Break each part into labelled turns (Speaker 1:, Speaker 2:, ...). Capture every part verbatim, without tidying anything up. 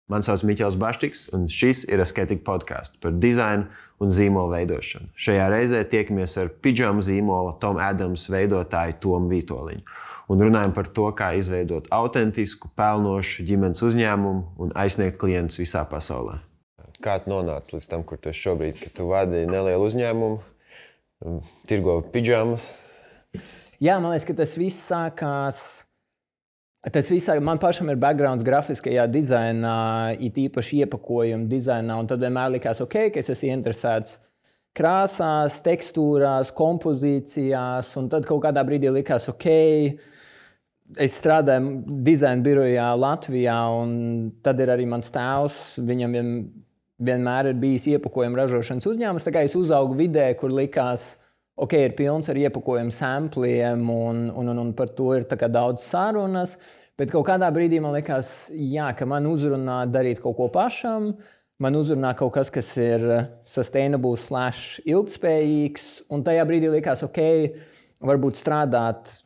Speaker 1: Mani sauc Miķels Baštiks, un šis ir Asketika podcasts par dizainu un zīmolu veidošanu. Šajā reizē tiekamies ar pidžamu zīmola Tom Adams veidotāju Tomu Vītoliņu un runājam par to, kā izveidot autentisku, pelnošu ģimenes uzņēmumu un aizsniegt klientus visā pasaulē. Kā tu nonāci līdz tam, kur tu esi šobrīd, kad tu vadi nelielu uzņēmumu, tirgo pidžamas?
Speaker 2: Jā, man liekas, ka tas viss sākās... Tas viss, man pašam ir backgrounds grafiskajā dizainā, it īpaši iepakojuma dizainā, un tad vienmēr likās, ok, ka es esmu interesēts krāsās, tekstūrās, kompozīcijās, un tad kaut kādā brīdī likās, ok, es strādāju dizaina birojā Latvijā, un tad ir arī mans tēvs, viņam vien, vienmēr ir bijis iepakojuma ražošanas uzņēmums, tā kā es uzaugu vidē, kur likās, ok, ir pilns ar iepakojumu sampliem, un, un, un, un par to ir tā kā daudz sarunas, bet kaut kādā brīdī man likās, jā, ka man uzrunā darīt kaut ko pašam, man uzrunā kaut kas, kas ir sustainable slash ilgtspējīgs, un tajā brīdī likās, ok, varbūt strādāt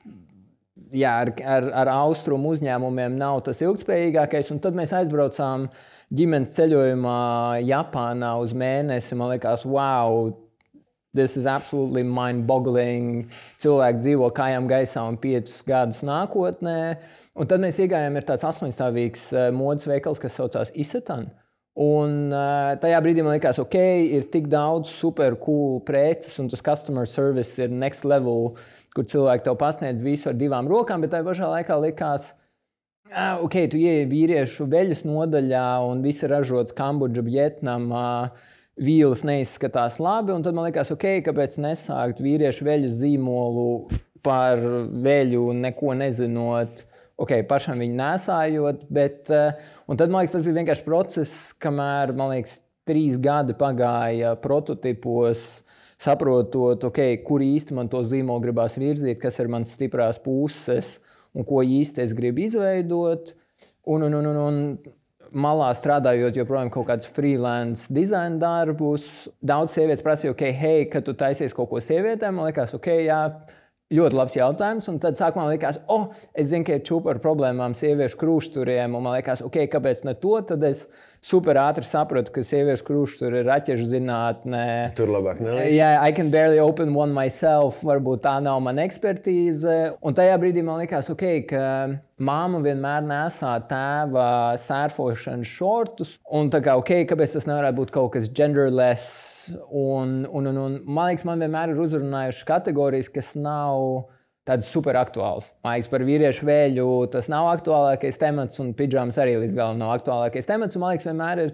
Speaker 2: jā, ar, ar, ar austrumu uzņēmumiem nav tas ilgtspējīgākais, un tad mēs aizbraucām ģimenes ceļojumā Japānā uz mēnesi, man likās, wow, this is absolutely mind-boggling. Cilvēki dzīvo kājām gaisā un piecus gadus nākotnē. Un tad mēs iegājām, ir tāds astoņstāvīgs modes veikals, kas saucās Isetan. Un tajā brīdī man likās, ok, ir tik daudz super cool preces, un tas customer service ir next level, kur cilvēki tev pasniedz visu ar divām rokām, bet tajā pašā laikā likās, ok, tu ieej vīriešu veļas nodaļā, un viss ir ražots Kambodža, Vietnamā, vīles neizskatās labi, un tad man likās, ok, kāpēc nesākt vīriešu veļas zīmolu par veļu, neko nezinot, ok, pašam viņu nesājot, bet, un tad, man liekas, tas bija vienkārši process, kamēr, man liekas, trīs gadi pagāja prototipos, saprotot, ok, kur īsti man to zīmolu gribās virzīt, kas ir mans stiprās puses, un ko īsti es gribu izveidot, un, un, un, un, un malā strādājot joprojām kaut kādus freelance dizaina darbus. Daudz sievietes prasīja, ok, hei, kad tu taisies kaut ko sievietēm, man likās, ok, jā, ļoti labs jautājums. Un tad sākumā man likās, oh, es zinu, ka ir čupa ar problēmām sieviešu krūšturiem, un man likās, ok, kāpēc ne to? Tad es super ātri sapratu, ka sieviešu krūšturi ir raķešu zinātnē.
Speaker 1: Tur labāk nelīdz.
Speaker 2: Yeah, I can barely open one myself, varbūt tā nav mana ekspertīze. Un tajā brīdī man likās, ok, ka māma vienmēr nesā tēva sērfošanas šortus, un tā kā, ok, kāpēc tas nevarētu būt kaut kas genderless, un, un, un, un man liekas, man vienmēr ir uzrunājuši kategorijas, kas nav tādas super aktuāls. Man liekas, par vīriešu vēļu tas nav aktuālākais temats, un pidžamas arī līdz galam nav aktuālākais temats, un man liekas, vienmēr ir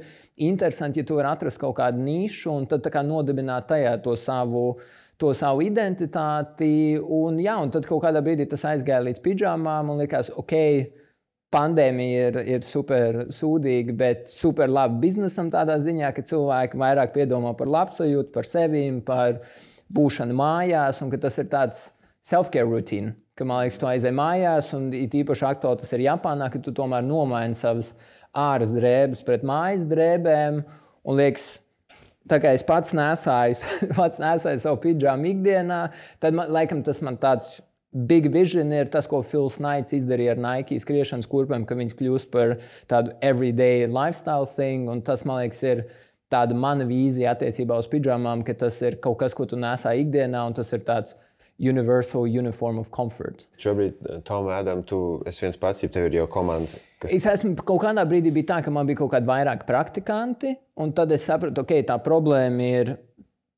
Speaker 2: interesanti, ja tu vari atrast kaut kādu nišu, un tad tā kā nodibināt tajā to savu to savu identitāti, un jā, un tad kaut kādā brīdī tas aizgāja līdz pidžamām, un likās, ok, pandēmija ir, ir super sūdīga, bet super labi biznesam tādā ziņā, ka cilvēki vairāk piedomā par labsajūtu, par sevīm, par būšanu mājās, un ka tas ir tāds self-care routine, ka, man liekas, tu aizej mājās, un it īpaši aktuāli tas ir Japānā, ka tu tomēr nomaini savas āras drēbes pret mājas drēbēm, un liekas, tā kā es pats nesāju, pats nesāju savu pidžamu ikdienā, tad, man, laikam, tas man tāds big vision ir tas, ko Phils Knights izdarīja ar Nike skriešanas kurpēm, ka viņas kļūst par tādu everyday lifestyle thing, un tas, man liekas, ir tāda mana vīzija attiecībā uz pidžamām, ka tas ir kaut kas, ko tu nesā ikdienā, un tas ir tāds universal uniform of comfort.
Speaker 1: Šobrīd, Tom Adam, tu esi viens pats, ja tev ir jau komanda? Kas...
Speaker 2: Es esmu, kaut kādā brīdī bija tā, ka man bija kaut kādi vairāk praktikanti, un tad es sapratu, ok, tā problēma ir,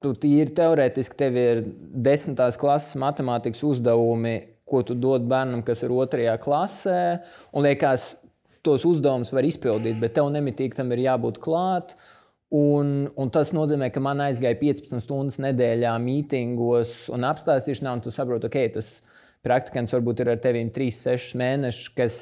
Speaker 2: tu tīri teorētiski, tev ir desmitās klases matemātikas uzdevumi, ko tu dod bērnam, kas ir otrajā klasē, un liekas, tos uzdevumus var izpildīt, bet tev nemitīgi tam ir jābūt klāt. Un, un tas nozīmē, ka man aizgāja piecpadsmit stundas nedēļā mītingos un apstāstīšanā, un tu saproti, ok, tas praktikants varbūt ir ar tevīm trīs sešus mēnešus, kas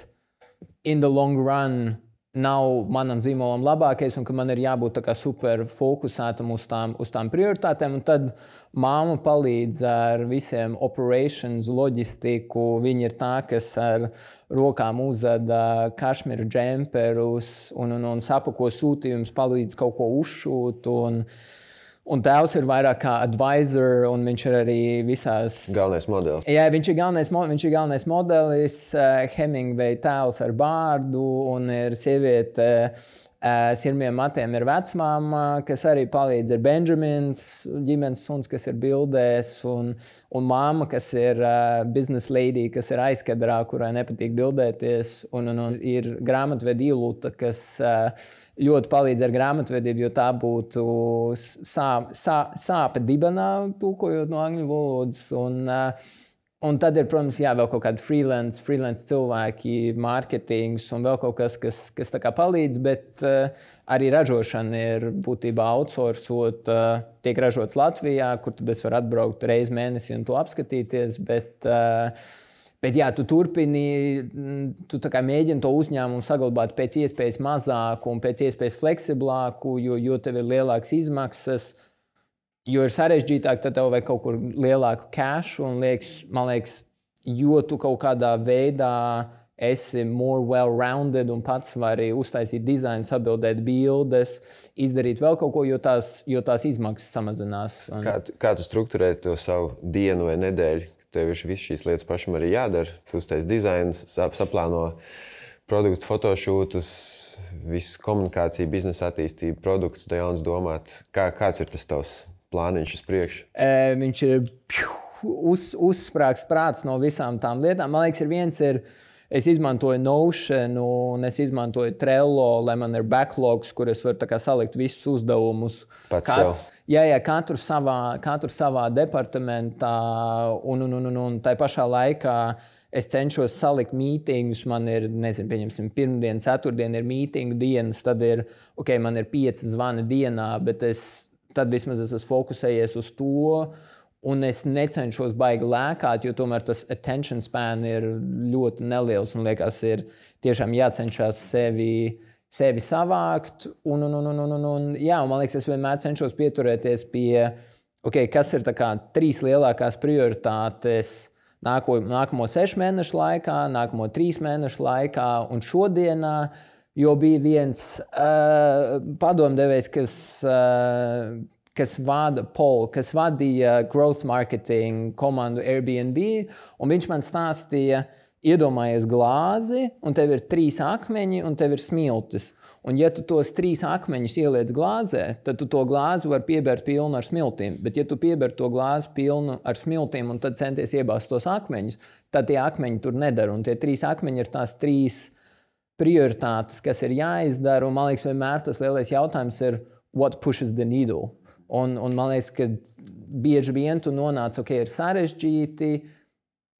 Speaker 2: in the long run nav manam zīmolam labākais, un ka man ir jābūt tā kā super fokusētam uz tām, uz tām prioritātēm, un tad māma palīdz ar visiem operations, loģistiku, viņa ir tā, kas ar rokām uzveda kašmira džemperus un, un, un sapako sūtījumus, palīdz kaut ko uzšūt, un Un tēvs ir vairāk kā advisor, un viņš ir arī visās...
Speaker 1: Galvenais modelis.
Speaker 2: Jā, viņš ir galvenais, viņš ir galvenais modelis, uh, Hemingway tēls ar bārdu, un ir sieviete Sirmiem matiem ir vecmāma, kas arī palīdz. Ir Benjamins, ģimenes suns, kas ir bildēs, un, un māma, kas ir uh, business lady, kas ir aizkadrā, kurai nepatīk bildēties. Un, un, un ir grāmatvedi Ilūta, kas uh, ļoti palīdz ar grāmatvedību, jo tā būtu sā, sā, sāpe dibenā, tulkojot no angļu valodas. Un, uh, Un tad ir, protams, jā, vēl kaut kādi freelance, freelance cilvēki, mārketings un vēl kaut kas, kas, kas tā kā palīdz, bet uh, arī ražošana ir būtībā outsourcot, uh, tiek ražots Latvijā, kur tad es varu atbraukt reizi mēnesī un to apskatīties, bet, uh, bet jā, tu turpini, tu tā kā mēģini to uzņēmumu saglabāt pēc iespējas mazāku un pēc iespējas fleksiblāku, jo, jo tev ir lielākas izmaksas. Jo ir sarežģītāk, tad tev vajag kaut kur lielāku cashu, un liekas, man liekas, jo tu kaut kādā veidā esi more well-rounded un pats vari uztaisīt dizainu, sabildēt bildes, izdarīt vēl kaut ko, jo tās, jo tās izmaksas samazinās. Un...
Speaker 1: Kā, tu, kā tu strukturē to savu dienu vai nedēļu? Tev ir viss šīs lietas pašam arī jādara. Tu uztaisi dizainu, sap, saplāno produktu fotošūtus, visu komunikāciju, biznesa attīstību, produktus, da jauns domāt. Kā, kāds ir tas tavs plāniņš uz priekšu?
Speaker 2: E, viņš ir uz, uzsprāgts prāts no visām tām lietām. Man liekas, ir viens ir, es izmantoju Notion un es izmantoju Trello, lai man ir backlogs, kur es varu tā kā salikt visus uzdevumus.
Speaker 1: Pats
Speaker 2: Kat,
Speaker 1: sev?
Speaker 2: Jā, jā, katru savā, katru savā departamentā un, un, un, un, un tai pašā laikā es cenšos salikt mītingus. Man ir, nezinu, pieņemsim, pirmdien, ceturtdien ir mītingu dienas, tad ir, ok, man ir pieci zvani dienā, bet es tad vismaz es esmu fokusējies uz to, un es necenšos baigi lēkāt, jo tomēr tas attention span ir ļoti neliels, un liekas, ir tiešām jācenšas sevi, sevi savākt, un, un, un, un, un, un, jā, un man liekas, es vienmēr cenšos pieturēties pie, ok, kas ir tā kā trīs lielākās prioritātes nāko, nākamo sešu mēnešu laikā, nākamo trīs mēnešu laikā un šodienā. Jo bija viens uh, padomdevējs, kas, uh, kas, vada Paul, kas vadīja growth marketing komandu Airbnb, un viņš man stāstīja, iedomājies glāzi, un tev ir trīs akmeņi, un tev ir smiltis. Un ja tu tos trīs akmeņus ieliec glāzē, tad tu to glāzi var piebērt pilnu ar smiltīm. Bet ja tu pieber to glāzi pilnu ar smiltīm, un tad centies iebāzt tos akmeņus, tad tie akmeņi tur nedara. Un tie trīs akmeņi ir tās trīs prioritātes, kas ir jāizdara, un man liekas, vienmēr tas lielais jautājums ir what pushes the needle. Un, un man liekas, ka bieži vien tu nonāc, ok, ir sarežģīti,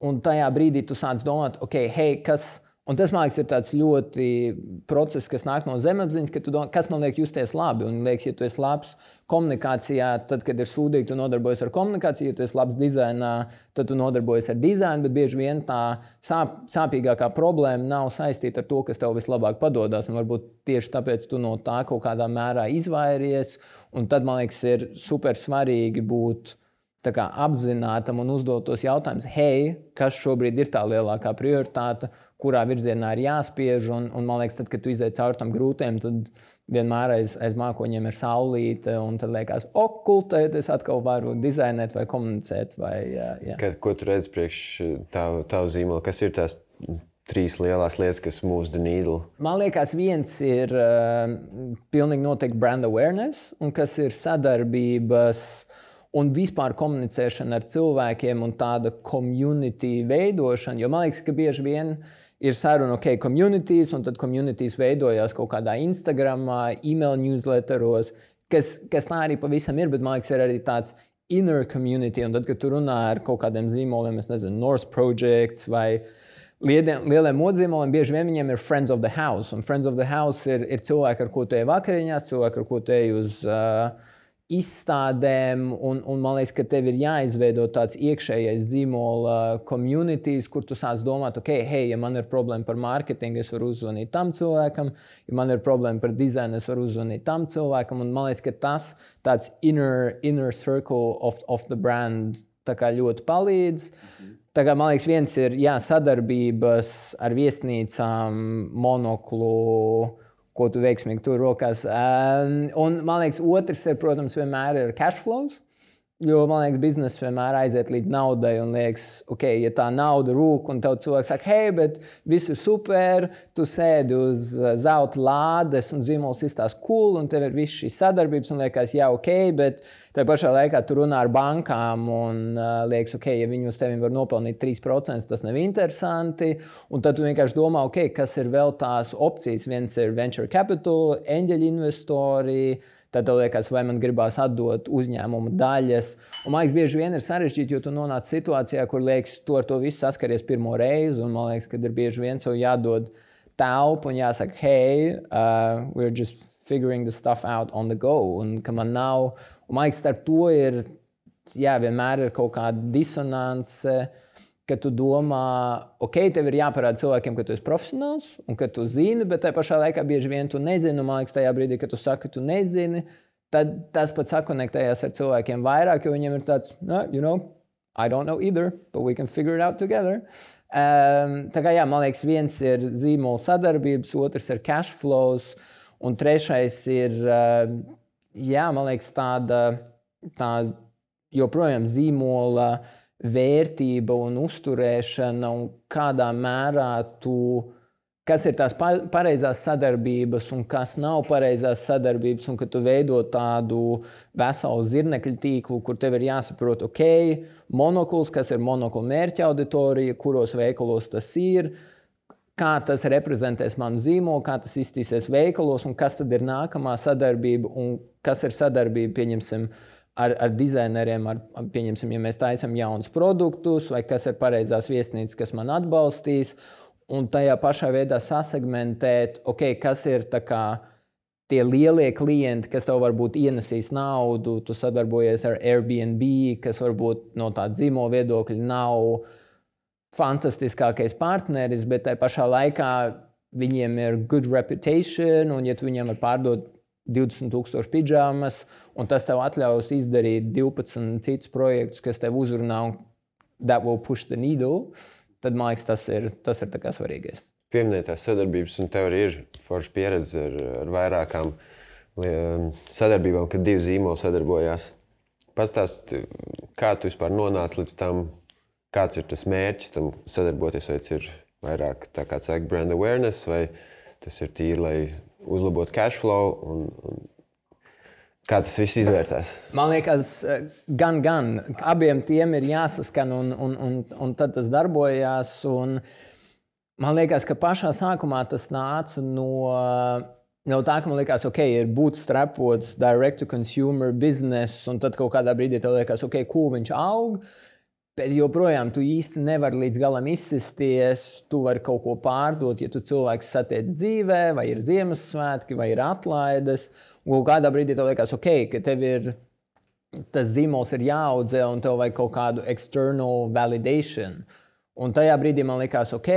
Speaker 2: un tajā brīdī tu sāc domāt, ok, hei, kas... Un tas, man liekas, ir tāds ļoti process, kas nāk no zemapziņas, ka tu domā, kas man liek justies labi. Un liekas, ja tu esi labs komunikācijā, tad, kad ir sūdīgi, tu nodarbojies ar komunikāciju. Ja tu esi labs dizainā, tad tu nodarbojies ar dizainu, bet bieži vien tā sāp, sāpīgākā problēma nav saistīta ar to, kas tev vislabāk padodas. Un varbūt tieši tāpēc tu no tā kaut kādā mērā izvairies. Un tad, man liekas, ir super svarīgi būt tā kā apzinātam un uzdot tos jautājumus, hei, kas šobrīd ir tā lielākā prioritāte, kurā virzienā ir jāspiež, un, un man liekas, tad, kad tu izej cauri tam grūtiem, tad vienmēr aiz, aiz mākoņiem ir saulīte, un tad liekas, o, kultēt, es atkal varu dizainēt vai komunicēt. Vai, jā, jā.
Speaker 1: Ka, ko tu redzi priekš tavu, tavu zīmolu? Kas ir tās trīs lielās lietas, kas move the needle?
Speaker 2: Man liekas, viens ir uh, pilnīgi noteikti brand awareness, un kas ir sadarbības un vispār komunicēšana ar cilvēkiem un tāda community veidošana. Jo man liekas, ka bieži vien ir saruna, ok, communities, un tad communities veidojās kaut kādā Instagramā, email newsletteros, kas, kas tā arī pavisam ir, bet man liekas, ir arī tāds inner community, un tad, kad tu runā ar kaut kādiem zīmoliem, es nezinu, North Projects vai lieliem, lieliem modzīmoliem, bieži vien viņiem ir friends of the house, un friends of the house ir, ir cilvēki, ar ko tu ej vakariņās, cilvēki, ar ko tu ej uz uh, izstādēm, un, un man liekas, ka tev ir jāizveido tāds iekšējais zīmola communities, kur tu sāc domāt, ok, hei, ja man ir problēma par mārketingu, es varu uzzvanīt tam cilvēkam, ja man ir problēma par dizainu, es varu uzzvanīt tam cilvēkam, un man liekas, ka tas tāds inner, inner circle of, of the brand tā kā ļoti palīdz. Tā kā, man liekas, viens ir, jā, sadarbības ar viesnīcām, monoklu, ko tu veiksmīgi tur rokās. Um, un, man liekas, otrs ir, protams, vienmēr ir cash flows. Jo, man liekas, biznesa vienmēr aiziet līdz naudai un liekas, ok, ja tā nauda rūk un tev cilvēks saka, hei, bet viss ir super, tu sēdi uz zelta lādes un zīmols izstās cool un tev ir viss šīs sadarbības un liekas, jā, ok, bet tajā pašā laikā tu runā ar bankām un uh, liekas, ok, ja viņi uz tevi var nopelnīt trīs procenti, tas nav interesanti. Un tad tu vienkārši domā, ok, kas ir vēl tās opcijas. Viens ir venture capital, eņģeļu investori. Tad tev liekas, vai man gribās atdot uzņēmumu daļas. Un man liekas, bieži vien ir sarežģīti, jo tu nonāc situācijā, kur liekas, tu ar to visu saskaries pirmo reizi. Un man liekas, ka ir bieži vien sev jādod telpu un jāsaka, hey, uh, we're just figuring the stuff out on the go. Un ka man nav, un man liekas, starp to ir, jā, vienmēr ir kaut kāda disonance, ka tu domā, ok, tev ir jāparāda cilvēkiem, ka tu esi profesionāls un ka tu zini, bet tajā pašā laikā bieži vien tu nezini. Un man liekas, tajā brīdī, kad tu saki, ka tu nezini, tad tas pat sakonektējas ar cilvēkiem vairāk, jo viņiem ir tāds, no, you know, I don't know either, but we can figure it out together. Um, tā kā jā, man liekas, viens ir zīmola sadarbības, otrs ir cash flows, un trešais ir, uh, jā, man liekas, tāda, tā joprojām zīmola vērtība un uzturēšana un kādā mērā tu, kas ir tās pareizās sadarbības un kas nav pareizās sadarbības un ka tu veido tādu veselu zirnekļu tīklu, kur tev ir jāsaprot, ok, monokls, kas ir monokla mērķa auditorija, kuros veikalos tas ir, kā tas reprezentēs manu zīmolu, kā tas iztīsies veikalos un kas tad ir nākamā sadarbība un kas ir sadarbība, pieņemsim, Ar, ar dizaineriem, ar, pieņemsim, ja mēs taisam jaunus produktus, vai kas ir pareizās viesnīcas, kas man atbalstīs, un tajā pašā veidā sasegmentēt, ok, kas ir tā kā tie lielie klienti, kas tev varbūt ienesīs naudu, tu sadarbojies ar Airbnb, kas varbūt no tāda zīmola viedokļa nav fantastiskākais partneris, bet tajā pašā laikā viņiem ir good reputation, un ja tu viņiem var pārdot divdesmit tūkstoši pidžāmas, un tas tev atļaus izdarīt divpadsmit citus projektus, kas tev uzrunā un that will push the needle, tad, man liekas, tas ir, tas ir tā kā svarīgais.
Speaker 1: Pieminētās sadarbības, un tev arī ir forša pieredze ar, ar vairākām sadarbībām, kad divi zīmoli sadarbojās. Pastāst, kā tu vispār nonāci līdz tam, kāds ir tas mērķis tam sadarboties, vai tas ir vairāk tā kā saka brand awareness, vai tas ir tīri, lai uzlabot cash flow un, un kā tas viss izvērtās?
Speaker 2: Man liekas, gan, gan. Abiem tiem ir jāsaskan un, un, un, un tad tas darbojās. Un man liekas, ka pašā sākumā tas nāca no, no tā, ka man liekas, ok, ir bootstrapots direct to consumer business un tad kaut kādā brīdī tev liekas, ok, cool, viņš aug. Bet joprojām tu īsti nevari līdz galam izsisties, tu vari kaut ko pārdot, ja tu cilvēks satiec dzīvē, vai ir Ziemassvētki, vai ir atlaides. Un kādā brīdī tev liekas, ok, ka tev ir, tas zīmols ir jāaudzē un tev vajag kaut kādu external validation. Un tajā brīdī man liekas, ok,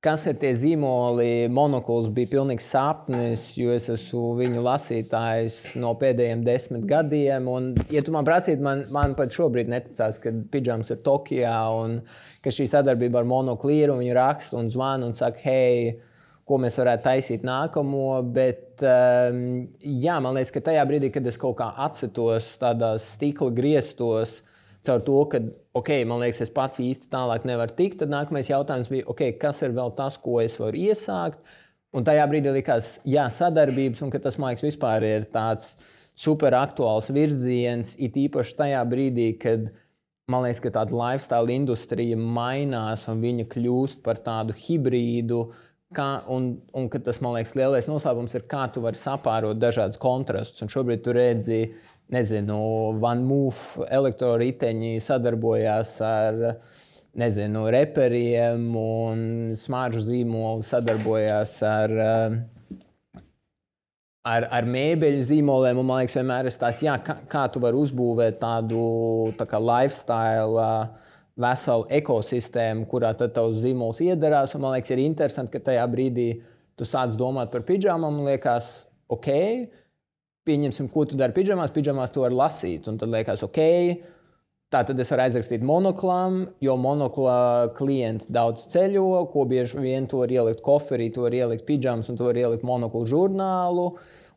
Speaker 2: kas ir tie zīmoli, monokls bija pilnīgs sapnis, jo es esmu viņu lasītājs no pēdējiem desmit gadiem. Un, ja tu man prasītu, man, man pat šobrīd neticās, ka pidžams ir Tokijā un ka šī sadarbība ar monoklu ir un viņi raksta un zvana un saka, hei, ko mēs varētu taisīt nākamo. Bet, um, jā, man liekas, ka tajā brīdī, kad es kaut kā atsitos tādās stikla griestos, caur to, ka, ok, man liekas, es pats īsti tālāk nevaru tikt, tad nākamais jautājums bija, ok, kas ir vēl tas, ko es varu iesākt? Un tajā brīdī likās, jā, sadarbības, un ka tas, man liekas, vispār ir tāds super aktuāls virziens, it īpaši tajā brīdī, kad, man liekas, ka tāda lifestyle industrija mainās un viņa kļūst par tādu hibrīdu, kā, un, un ka tas, man liekas, lielais noslēpums ir, kā tu vari sapārot dažādus kontrastus. Un šobrīd tu redzi, nezinu, OneMove elektroriteņi sadarbojās ar, nezinu, reperiem un smāržu zīmoli sadarbojās ar, ar, ar mēbeļu zīmoliem. Un man liekas, vienmēr ir tās, jā, kā, kā tu vari uzbūvēt tādu tā kā lifestyle veselu ekosistēmu, kurā tad tavs zīmols iedarās. Un man liekas, ir interesanti, ka tajā brīdī tu sāc domāt par pidžāmām un liekas, ok, pieņemsim, ko tu dari pidžamās, pidžamās tu vari lasīt. Un tad liekas, ok, tā tad es varu aizrakstīt monoklam, jo monokla klienti daudz ceļo, ko bieži vien tu vari ielikt koferī, tu vari ielikt pidžamas un tu vari ielikt monoklu žurnālu.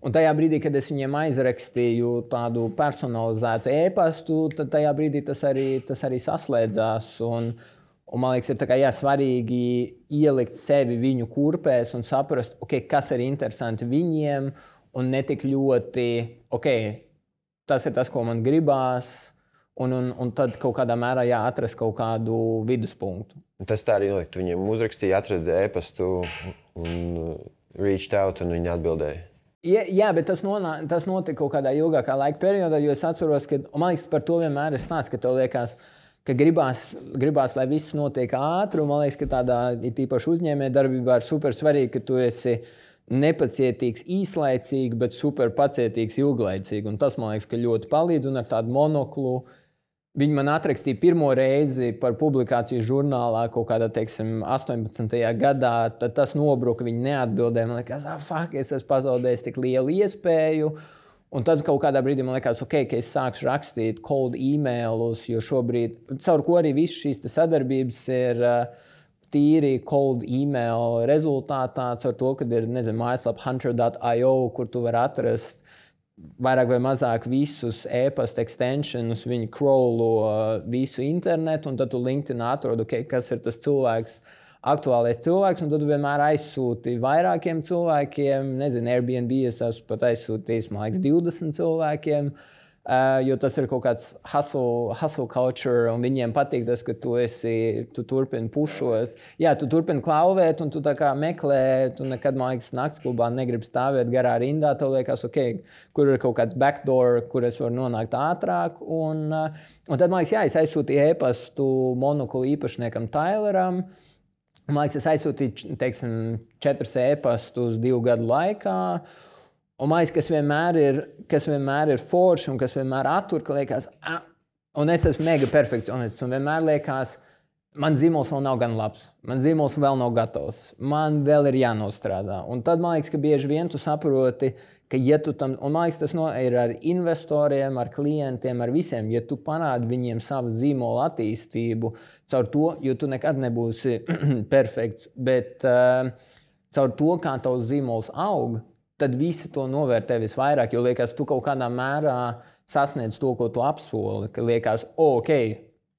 Speaker 2: Un tajā brīdī, kad es viņiem aizrakstīju tādu personalizētu e-pastu, tad tajā brīdī tas arī, tas arī saslēdzās. Un, un man liekas, ir tā kā, jā, svarīgi ielikt sevi viņu kurpēs un saprast, okay, kas ir interesanti viņiem, un ne tik ļoti, ok, tas ir tas, ko man gribās, un, un, un tad kaut kādā mērā jāatrast kaut kādu viduspunktu.
Speaker 1: Tas tā arī notika. Tu viņiem uzrakstīja, atrada e-pastu un reached out, un viņi atbildēja.
Speaker 2: Jā, jā, bet tas, nonā, tas notika kaut kādā ilgākā laika periodā, jo es atceros, ka, un man liekas, par to vienmēr ir stāsts, ka tev liekas, ka gribās, gribās, lai viss notiek ātri, un man liekas, ka tādā, it īpaši uzņēmē darbībā ir super svarīgi, ka tu esi nepacietīgs īslaicīgi, bet super pacietīgs ilglaicīgi, un tas, man liekas, ka ļoti palīdz, un ar tādu monoklu viņi man atrakstīja pirmo reizi par publikāciju žurnālā kaut kādā, teiksim, astoņpadsmitajā gadā, tad tas nobruka, viņi neatbildēja, man liekas, ah, fuck, es esmu pazaudējis tik lielu iespēju. Un tad kaut kādā brīdī man liekas, ok, ka es sākšu rakstīt cold emailus, jo šobrīd, caur ko arī visas šīs sadarbības ir uh, tīri cold email rezultātā, caur to, kad ir, nezinu, mājaslapa hunter dot i o, kur tu vari atrast vairāk vai mazāk visus e-pasta extensionus, viņi crawlo uh, visu internetu, un tad tu LinkedIn atrod, ok, kas ir tas cilvēks, aktuālais cilvēks, un tad tu vienmēr aizsūti vairākiem cilvēkiem. Nezinu, Airbnb es esmu pat aizsūtījis, man liekas, divdesmit cilvēkiem, uh, jo tas ir kaut kāds hustle, hustle culture, un viņiem patīk tas, ka tu esi, tu turpini pušot. Jā, tu turpini klauvēt, un tu tā kā meklē, tu nekad, man liekas, naktsklubā negribi stāvēt garā rindā, tev liekas, ok, kur ir kaut kāds backdoor, kur es varu nonākt ātrāk, un, uh, un tad, man liekas, jā, es aizsūtīju e-pastu monoklu īpašniekam Tyleram. Man liekas, es aizsūtīju, teiksim, četrus e-pastus divu gadu laikā. Un man liekas, kas vienmēr ir, kas vienmēr ir forši un kas vienmēr attur, ka liekas, ah, un es esmu mega perfekcionists, un vienmēr liekas, man zīmols vēl nav gan labs, man zīmols vēl nav gatavs, man vēl ir jānostrādā. Un tad man liekas, ka bieži vien tu saproti, ka ja tu tam, un man liekas, tas no, ir ar investoriem, ar klientiem, ar visiem, ja tu parādi viņiem savu zīmola attīstību, caur to, jo tu nekad nebūsi perfekts, bet uh, caur to, kā tavs zīmols aug, tad visi to novērtē visvairāk, jo liekas, tu kaut kādā mērā sasniedz to, ko tu apsoli, ka liekas, oh, ok,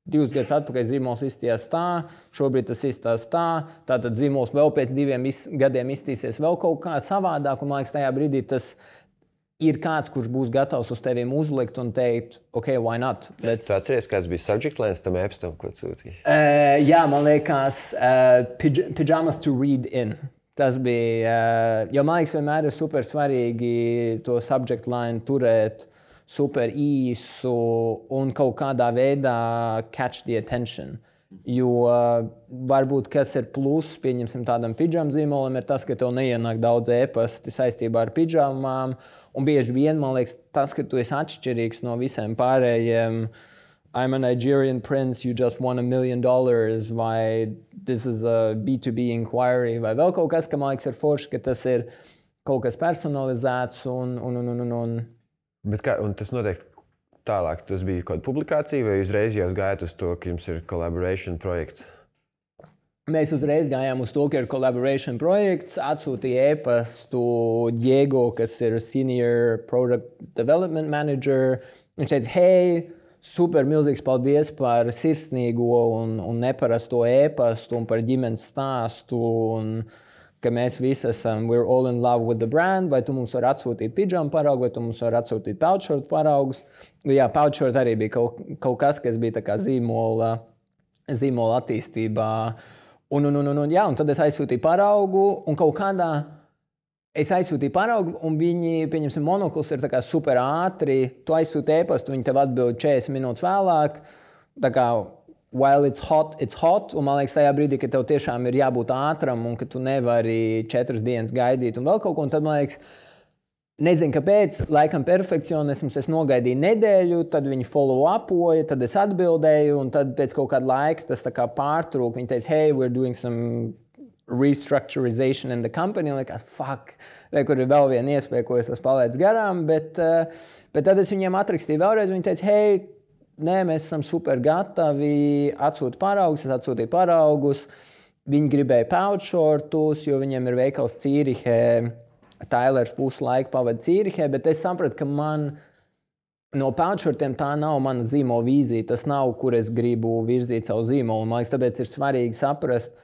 Speaker 2: divus gadus atpakaļ zīmols izstījās tā, šobrīd tas izstās tā, tātad zīmols vēl pēc diviem iz, gadiem izstīsies vēl kaut kā savādāk, un man liekas, tajā brīdī tas ir kāds, kurš būs gatavs uz teviem uzlikt un teikt, ok, why not?
Speaker 1: Bet... Tu atceries, kāds bija subject lines tam e-pastam, ko sūtīji?
Speaker 2: Uh, jā, man liekas, uh, pij- pyjamas to read in. Tas bija, uh, jo man liekas, vienmēr ir super svarīgi to subject line turēt super īsu un kaut kādā veidā catch the attention. Jo uh, varbūt, kas ir pluss, pieņemsim tādam pidžamu zīmolam, ir tas, ka tev neienāk daudz e-pasti saistībā ar pidžamām, un bieži vien, man liekas, tas, ka tu esi atšķirīgs no visiem pārējiem, I'm a Nigerian prince, you just won a million dollars, vai this is a B two B inquiry, vai vēl kaut kas, ka man liekas ir forši, ka tas ir kaut kas personalizēts un, un, un, un, un
Speaker 1: Bet kā, un tas notiek tālāk, tas bija kaut kāda publikācija, vai uzreiz jau gājāt uz to, ka jums ir collaboration projekts?
Speaker 2: Mēs uzreiz gājām uz to, ka ir collaboration projekts, atsūtīja e-pastu Diego, kas ir Senior Product Development Manager. Viņš teica, hei, super milzīgs paldies par sirsnīgo un, un neparasto e-pastu un par ģimenes stāstu. Un, ka mēs visi esam, we're all in love with the brand, vai tu mums var atsūtīt pidžamu paraugu, vai tu mums var atsūtīt pouchshort paraugus. Jā, pouchshort arī bija kaut, kaut kas, kas bija tā kā zīmola, zīmola attīstībā. Un, un, un, un, un, jā, un tad es aizsūtīju paraugu, un kaut kādā es aizsūtīju paraugu, un viņi, pieņemsim, monokls ir tā kā super ātri, tu aizsūti e-pastu, viņi tev atbild četrdesmit minūtes vēlāk, tā kā while it's hot, it's hot, un man liekas tajā brīdī, ka tev tiešām ir jābūt ātram un ka tu nevari četras dienas gaidīt un vēl kaut ko, un tad man liekas, nezinu, kāpēc, laikam perfekcionisms, es nogaidīju nedēļu, tad viņi follow-upoja, tad es atbildēju, un tad pēc kaut kāda laika tas tā kā pārtrūk, viņi teica, hey, we're doing some restructurization in the company, un liekas, fuck, vai kur ir vēl viena iespēja, ko es esmu palaidis garām, bet, bet tad es viņiem atrakstīju vēlreiz, viņi teica, hey, nē, mēs esam super gatavi, atsūti paraugus, es atsūtīju paraugus. Viņi gribēja pouchshortus, jo viņiem ir veikals Cīrihē, Tailers pusi laiku pavada Cīrihē, bet es sapratu, ka man no peltšortiem tā nav mana zīmola vīzija. Tas nav, kur es gribu virzīt savu zīmolu. Man liekas, tāpēc ir svarīgi saprast,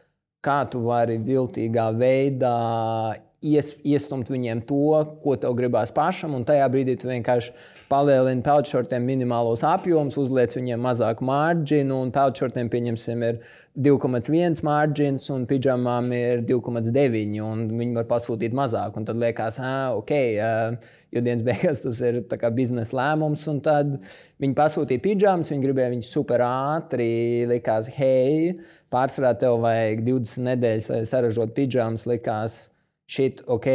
Speaker 2: kā tu vari viltīgā veidā ies, iestumt viņiem to, ko tev gribās pašam, un tajā brīdī tu vienkārši palielini peltšortiem minimālos apjomus, uzliec viņiem mazāku marģinu, un peltšortiem, pieņemsim, ir divi komats viens marģins, un pidžamām ir divi komats deviņi, un viņi var pasūtīt mazāk. Un tad liekas, ah, ok, jo dienas beigās tas ir tā kā biznesa lēmums, un tad viņi pasūtīja pidžamas, viņi gribēja viņus super ātri, likās, hei, pārsvarā tev vajag divdesmit nedēļas, lai saražot pidžamas, likās, shit, ok,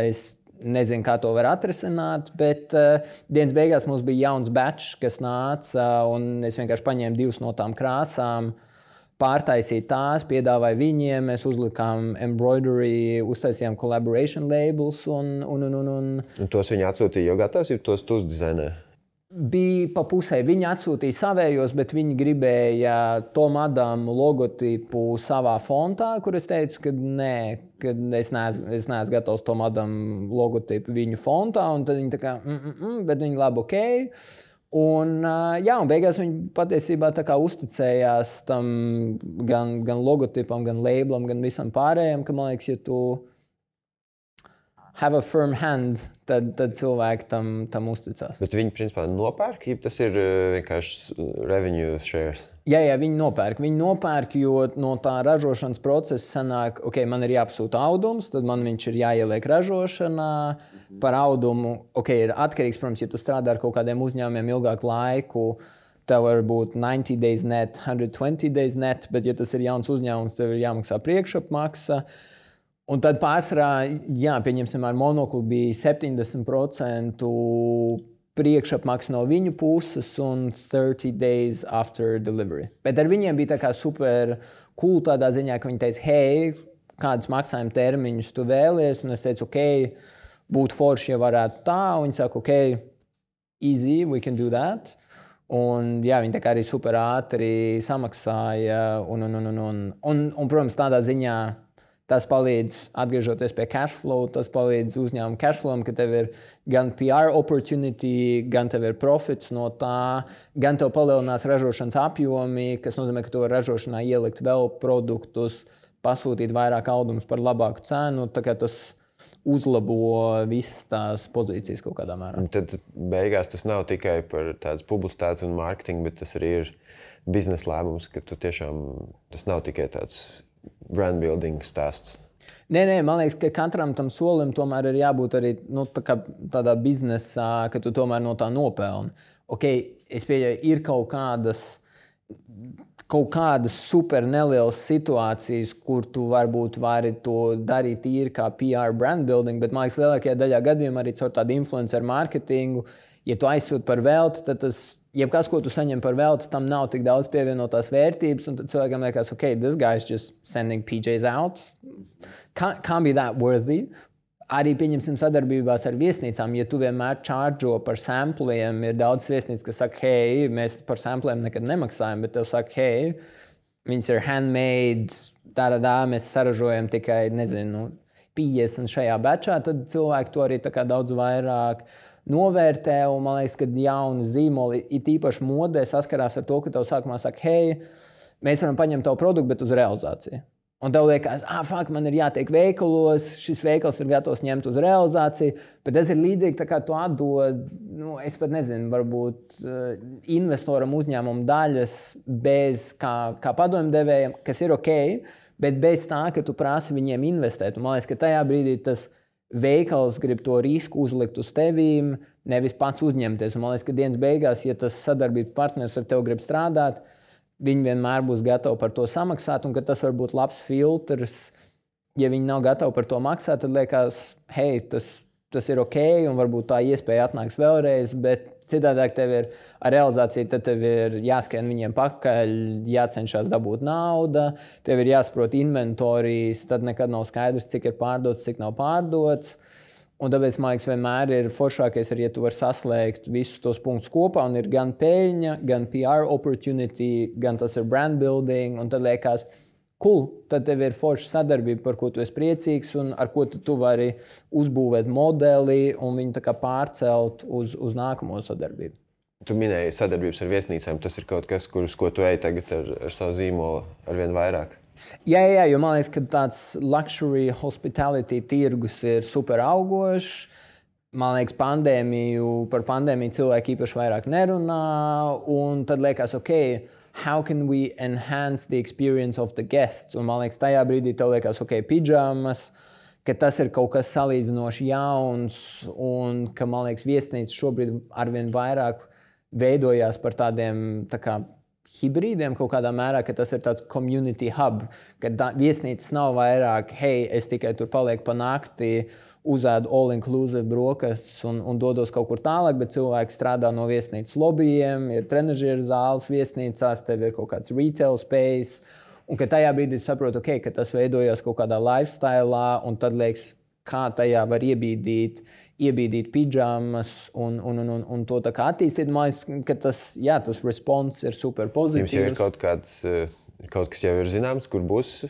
Speaker 2: es nezinu, kā to var atrisināt, bet uh, dienas beigās mums bija jauns batch, kas nāca, uh, un es vienkārši paņēmu divas no tām krāsām, pārtaisīju tās, piedāvāju viņiem, mēs uzlikām embroidery, uztaisījām collaboration labels, un, un, un, un, un...
Speaker 1: un tos viņi atsūtīja jau gatavs, jo tos tu uzdizainē?
Speaker 2: Bija pa pusē. Viņi atsūtīja savējos, bet viņi gribēja Tom Adamu logotipu savā fontā, kur es teicu, ka nē, ka es neesmu, es neesmu gatavs Tom Adamu logotipu viņu fontā, un tad viņi tā kā, mm, mm, mm, bet viņi labi, ok. Un, jā, un beigās viņi patiesībā tā kā uzticējās tam gan, gan logotipam, gan labelam, gan visam pārējiem, ka man liekas, ja tu have a firm hand, tad, tad cilvēki tam, tam uzticās.
Speaker 1: Bet viņi, principā, nopērk, ja tas ir vienkārši revenue shares?
Speaker 2: Jā, jā, viņi nopērk. Viņi nopērk, jo no tā ražošanas procesa sanāk, ok, man ir jāpasūta audums, tad man viņš ir jāieliek ražošanā. Par audumu, ok, ir atkarīgs, protams, ja tu strādā ar kaut kādiem uzņēmumiem ilgāku laiku, tev var būt ninety days net, one hundred twenty days net, bet ja tas ir jauns uzņēmums, tev ir jāmaksā priekšapmaksa. Un tad pārsvarā, jā, pieņemsim, ar monoklu bija septiņdesmit procenti priekšapmaksa no viņu puses un thirty days after delivery. Bet ar viņiem bija tā kā super cool tādā ziņā, ka viņi teica, hei, kādas maksājuma termiņus tu vēlies? Un es teicu, ok, būtu forši, ja varētu tā. Un viņi saka, ok, easy, we can do that. Un jā, viņi tā kā arī super ātri samaksāja. Un, un, un, un, un, un, un protams, tādā ziņā tas palīdz, atgriežoties pie cash flow, tas palīdz uzņēmumu cash flowam, ka tev ir gan P R opportunity, gan tev ir profits no tā, gan tev palielinās ražošanas apjomi, kas nozīmē, ka tu vari ražošanā ielikt vēl produktus, pasūtīt vairāk audumus par labāku cenu, tā kā tas uzlabo visas tās pozīcijas kaut kādā mērā.
Speaker 1: Un tad beigās tas nav tikai par tādas publicitātes un mārketingu, bet tas arī ir biznesa lēmums, ka tu tiešām, tas nav tikai tāds brand building stāsts.
Speaker 2: Nē, nē, man liekas, ka katram tam solim tomēr ir jābūt arī nu, tā kā tādā biznesā, ka tu tomēr no tā nopelni. Ok, es pieļauju, ir kaut kādas, kaut kādas super nelielas situācijas, kur tu varbūt vari to darīt tīri kā P R brand building, bet man liekas, lielākajā daļā gadījumā arī caur tādu influencer marketingu, ja tu aizsūti par velti, tad tas jebkas, ko tu saņem par velti, tam nav tik daudz pievienotās vērtības, un tad cilvēkam liekas, ok, this guy is just sending P Js out. Can't, can't be that worthy. Arī pieņemsim sadarbībās ar viesnīcām, ja tu vienmēr čārdžo par sampliem, ir daudz viesnīcas, kas saka, hei, mēs par sampliem nekad nemaksājam, bet tev saka, hei, viņas ir handmade, tādā mēs saražojam tikai, nezinu, piecdesmit šajā batchā, tad cilvēki to arī tā kā daudz vairāk novērtē, un man liekas, ka jauni zīmoli, it īpaši modē, saskarās ar to, ka tev sākumā saka, hei, mēs varam paņemt tavu produktu, bet uz realizāciju. Un tev liekas, ah, fuck, man ir jātiek veikalos, šis veikals ir gatavs ņemt uz realizāciju, bet tas ir līdzīgi, tā kā tu atdod, nu, es pat nezinu, varbūt uh, investoram uzņēmumu daļas bez kā, kā padomdevējiem, kas ir ok, bet bez tā, ka tu prasi viņiem investēt. Un man liekas, ka tajā brīdī tas veikals grib to risku uzlikt uz tevīm, nevis pats uzņemties. Un man liekas, ka dienas beigās, ja tas sadarbības partners ar tevi grib strādāt, viņi vienmēr būs gatavi par to samaksāt, un ka tas var būt labs filtrs. Ja viņi nav gatavi par to maksāt, tad liekas, hei, tas, tas ir ok, un varbūt tā iespēja atnāks vēlreiz, bet citādāk tev ir ar realizāciju, tad tev ir jāskrien viņiem pakaļ, jācenšas dabūt nauda, tev ir jāsaprot inventorijas, tad nekad nav skaidrs, cik ir pārdots, cik nav pārdots. Un tāpēc, man liekas, vienmēr ir foršākais, ja tu vari saslēgt visus tos punktus kopā, un ir gan peļņa, gan P R opportunity, gan tas ir brand building, un tad liekas, cool, tad tev ir forša sadarbība, par ko tu esi priecīgs un ar ko tu, tu vari uzbūvēt modeli un viņu tā kā pārcelt uz, uz nākamo sadarbību.
Speaker 1: Tu minēji sadarbības ar viesnīcām. Tas ir kaut kas, kurus, ko tu ej tagad ar, ar savu zīmolu arvien vairāk.
Speaker 2: Jā, jā, jo man liekas, ka tāds luxury hospitality tirgus ir super augošs. Man liekas, pandēmiju, par pandēmiju cilvēki īpaši vairāk nerunā. Un tad liekas, ok, how can we enhance the experience of the guests? Un man liekas, tajā brīdī tev liekas, ok, pidžamas, ka tas ir kaut kas salīdzinoši jauns un ka, man liekas, viesnīcas šobrīd arvien vairāk veidojās par tādiem tā kā hibrīdiem kaut kādā mērā, ka tas ir tāds community hub, ka tā, viesnīcas nav vairāk, hei, es tikai tur palieku pa nakti, uzēdu all-inclusive brokastus un, un dodos kaut kur tālāk, bet cilvēki strādā no viesnīcas lobbyiem, ir trenažieru zāles viesnīcās, tev ir kaut kāds retail space, un ka tajā brīdī saprotu, okay, ka tas veidojās kaut kādā lifestylā, un tad liekas, kā tajā var iebīdīt, iebīdīt pidžamas un, un, un, un, un to tā kā attīstīt. Man liekas, ka tas, jā, tas response ir super pozitīvs.
Speaker 1: Jums jau ir kaut kāds, kaut kas jau ir zināms, kur būs?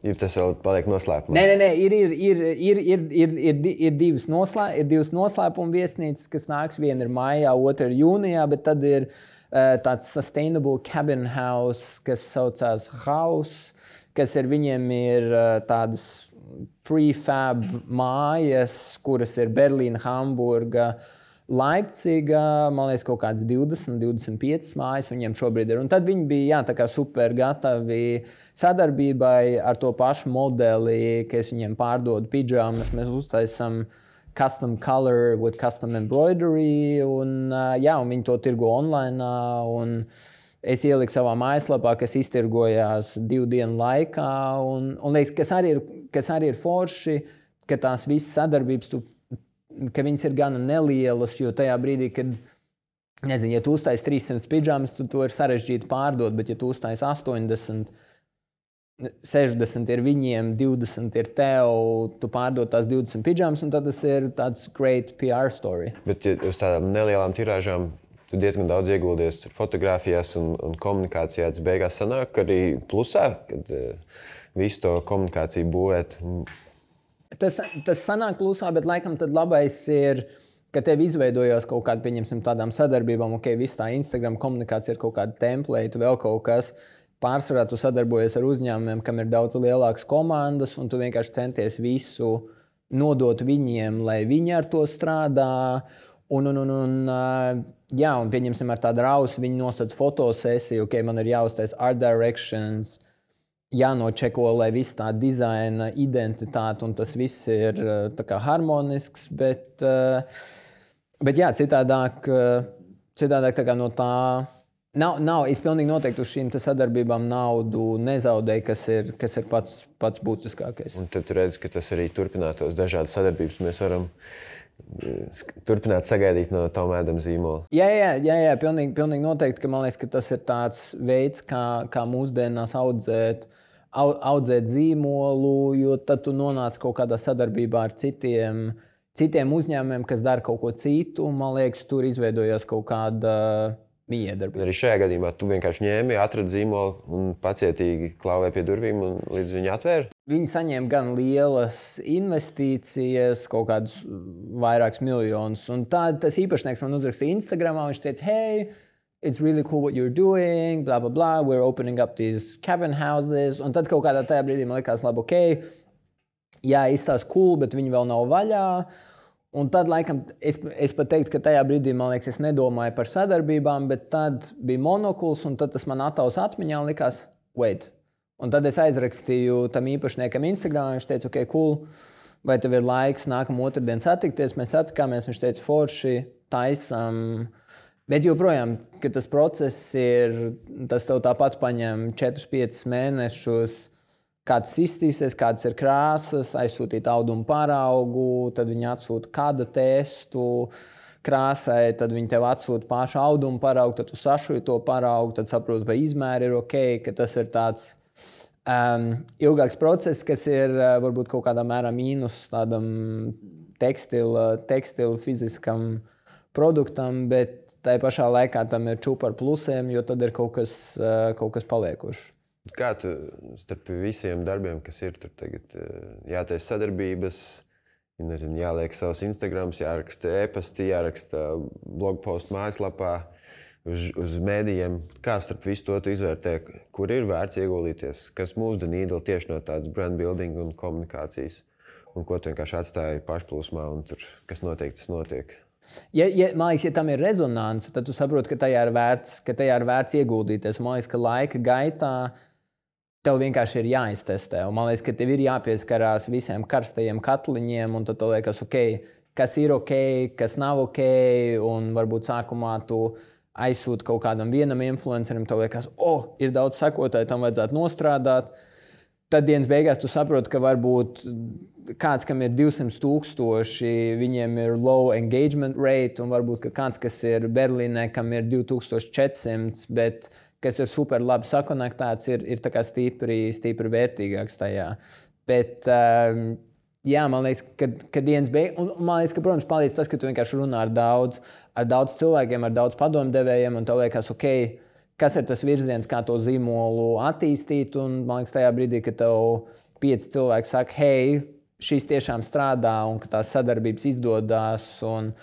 Speaker 1: Ir tas vēl paliek noslēpumā?
Speaker 2: Nē, nē, nē, ir, ir, ir, ir, ir, ir, ir, ir, divas noslē, ir divas noslēpuma viesnīcas, kas nāks. Viena ir maijā, otra ir jūnijā, bet tad ir uh, tāds sustainable cabin house, kas saucās House, kas ir viņiem ir uh, tādas prefab mājas, kuras ir Berlīna, Hamburga, Leipciga, man liekas, kaut kāds divdesmit, divdesmit piecas mājas viņiem šobrīd ir. Un tad viņi bija jā, tā kā super gatavi sadarbībai ar to pašu modeli, ka es viņiem pārdodu pidžamas, mēs uztaisam custom color with custom embroidery, un, jā, un viņi to tirgo online. Un es ieliku savā mājaslapā, kas iztirgojās divu dienu laikā. Un, un liekas, kas, arī ir, kas arī ir forši, ka tās visas sadarbības tu ka viņas ir gana nelielas, jo tajā brīdī, kad, nezinu, ja tu uztaisi trīssimt pidžamas, tad to ir sarežģīti pārdot, bet ja tu uztaisi astoņdesmit, sešdesmit ir viņiem, divdesmit ir tev, tu pārdod tās divdesmit pidžamas, un tad tas ir tāds great P R story.
Speaker 1: Bet ja uz tādām nelielām tirāžām tu diezgan daudz ieguldies fotografiјās un, un komunikācijā, tas beigās sanāk arī plusā, kad uh, visu to komunikāciju būvēt.
Speaker 2: Tas, tas sanāk plusā, bet laikam tad labais ir, ka tev izveidojās kaut kāda, pieņemsim, tādām sadarbībām, ok, viss tā Instagram komunikācija ir kaut kāda template, vēl kaut kas. Pārsvarā tu sadarbojies ar uzņēmumiem, kam ir daudz lielākas komandas, un tu vienkārši centies visu nodot viņiem, lai viņi ar to strādā. Un, un, un, un, jā, un pieņemsim ar tādu rausu, viņi nosaka fotosesiju, ok, man ir jāuztais art directions, jānočeko, lai viss tā dizaina identitāte un tas viss ir tā kā harmonisks, bet, bet jā, citādāk, citādāk tā kā no tā nav, nav, es pilnīgi noteikti uz šīm sadarbībām naudu nezaudēju, kas ir, kas ir pats, pats būtiskākais.
Speaker 1: Un tad tu redzi, ka tas arī turpinātos dažādas sadarbības. Mēs varam turpināt sagaidīt no Toma Adama zīmola.
Speaker 2: Jā, jā, jā, jā pilnīgi, pilnīgi noteikti, ka man liekas, ka tas ir tāds veids, kā, kā mūsdienās audzēt, audzēt zīmolu, jo tad tu nonāc kaut kādā sadarbībā ar citiem, citiem uzņēmumiem, kas dara kaut ko citu, un man liekas, tur izveidojās kaut kāda miedarbība.
Speaker 1: Arī šajā gadījumā tu vienkārši ņēmi, atradi zīmolu un pacietīgi klauvēji pie durvīm un līdz viņi atvēra?
Speaker 2: Viņi saņēma gan lielas investīcijas, kaut kādus vairākus miljonus. Un tā, tas īpašnieks man uzrakstīja Instagramā, viņš teica, hey, it's really cool what you're doing, blah, blah, blah, we're opening up these cabin houses. Un tad kaut kādā tajā brīdī man likās, labi, ok, jā, izstāst cool, bet viņi vēl nav vaļā. Un tad, laikam, es, es pat teiktu, ka tajā brīdī, man liekas, es nedomāju par sadarbībām, bet tad bija monokuls, un tad tas man ataus atmiņā un likās, wait. Un tad es aizrakstīju tam īpašniekam Instagram, viņš teica, ok, cool, vai tev ir laiks nākamā otrdien satikties? Mēs satikāmies, viņš teica, forši, taisam. Bet joprojām, ka tas process ir, tas tev tāpat paņem četrus piecus mēnešus, kāds izstīsies, kādas ir krāsas, aizsūtīt audumu paraugu, tad viņi atsūta kāda testu krāsai, tad viņi tev atsūta pašu audumu paraugu, tad tu sašuji to paraugu, tad saproti, vai izmēri ir ok, ka tas ir tāds um, ilgāks process, kas ir uh, varbūt kaut kādā mērā mīnus tādam tekstilu, tekstilu fiziskam produktam, bet tai pašā laikā tam ir čūpa ar plusiem, jo tad ir kaut kas, uh, kaut kas paliekošs.
Speaker 1: Kā tu starp visiem darbiem, kas ir tur tagad, jātaisa sadarbības, nezinu, jāliek savus Instagrams, jāraksta e-pasti, jāraksta blogpostu mājaslapā, uz, uz mēdījiem. Kā starp visu to tu izvērtē, kur ir vērts ieguldīties, kas move the needle tieši no tādas brand building un komunikācijas, un ko tu vienkārši atstāji pašplūsmā, un tur, kas notiek, tas notiek.
Speaker 2: Ja, ja, man liekas, ja tam ir rezonance, tad tu saproti, ka tajā ir vērts, ka tajā ir vērts ieguldīties. Man liekas, ka laika gaitā tev vienkārši ir jāiztestē. Un man liekas, ka tev ir jāpieskarās visiem karstajiem katliņiem, un tad tev liekas, ok, kas ir ok, kas nav ok, un varbūt sākumā tu aizsūti kaut kādam vienam influencerim, tev liekas, oh, ir daudz sekotāju, tam vajadzētu nostrādāt. Tad dienas beigās tu saproti, ka varbūt kāds, kam ir divsimt tūkstoši, viņiem ir low engagement rate, un varbūt kāds, kas ir Berlīnē, kam ir divi tūkstoši četri simti, bet kas ir super labi sakonektēts, ir, ir tā kā stipri, stipri vērtīgāks tajā. Bet, um, jā, man liekas, ka, ka dienas beigās, un man liekas, ka, protams, palīdz tas, ka tu vienkārši runā ar daudz, ar daudz cilvēkiem, ar daudz padomdevējiem, un tev liekas, ok, kas ir tas virziens, kā to zīmolu attīstīt, un man liekas, tajā brīdī, kad tev pieci cilvēki saka, hei, šis tiešām strādā, un ka tās sadarbības izdodas, un,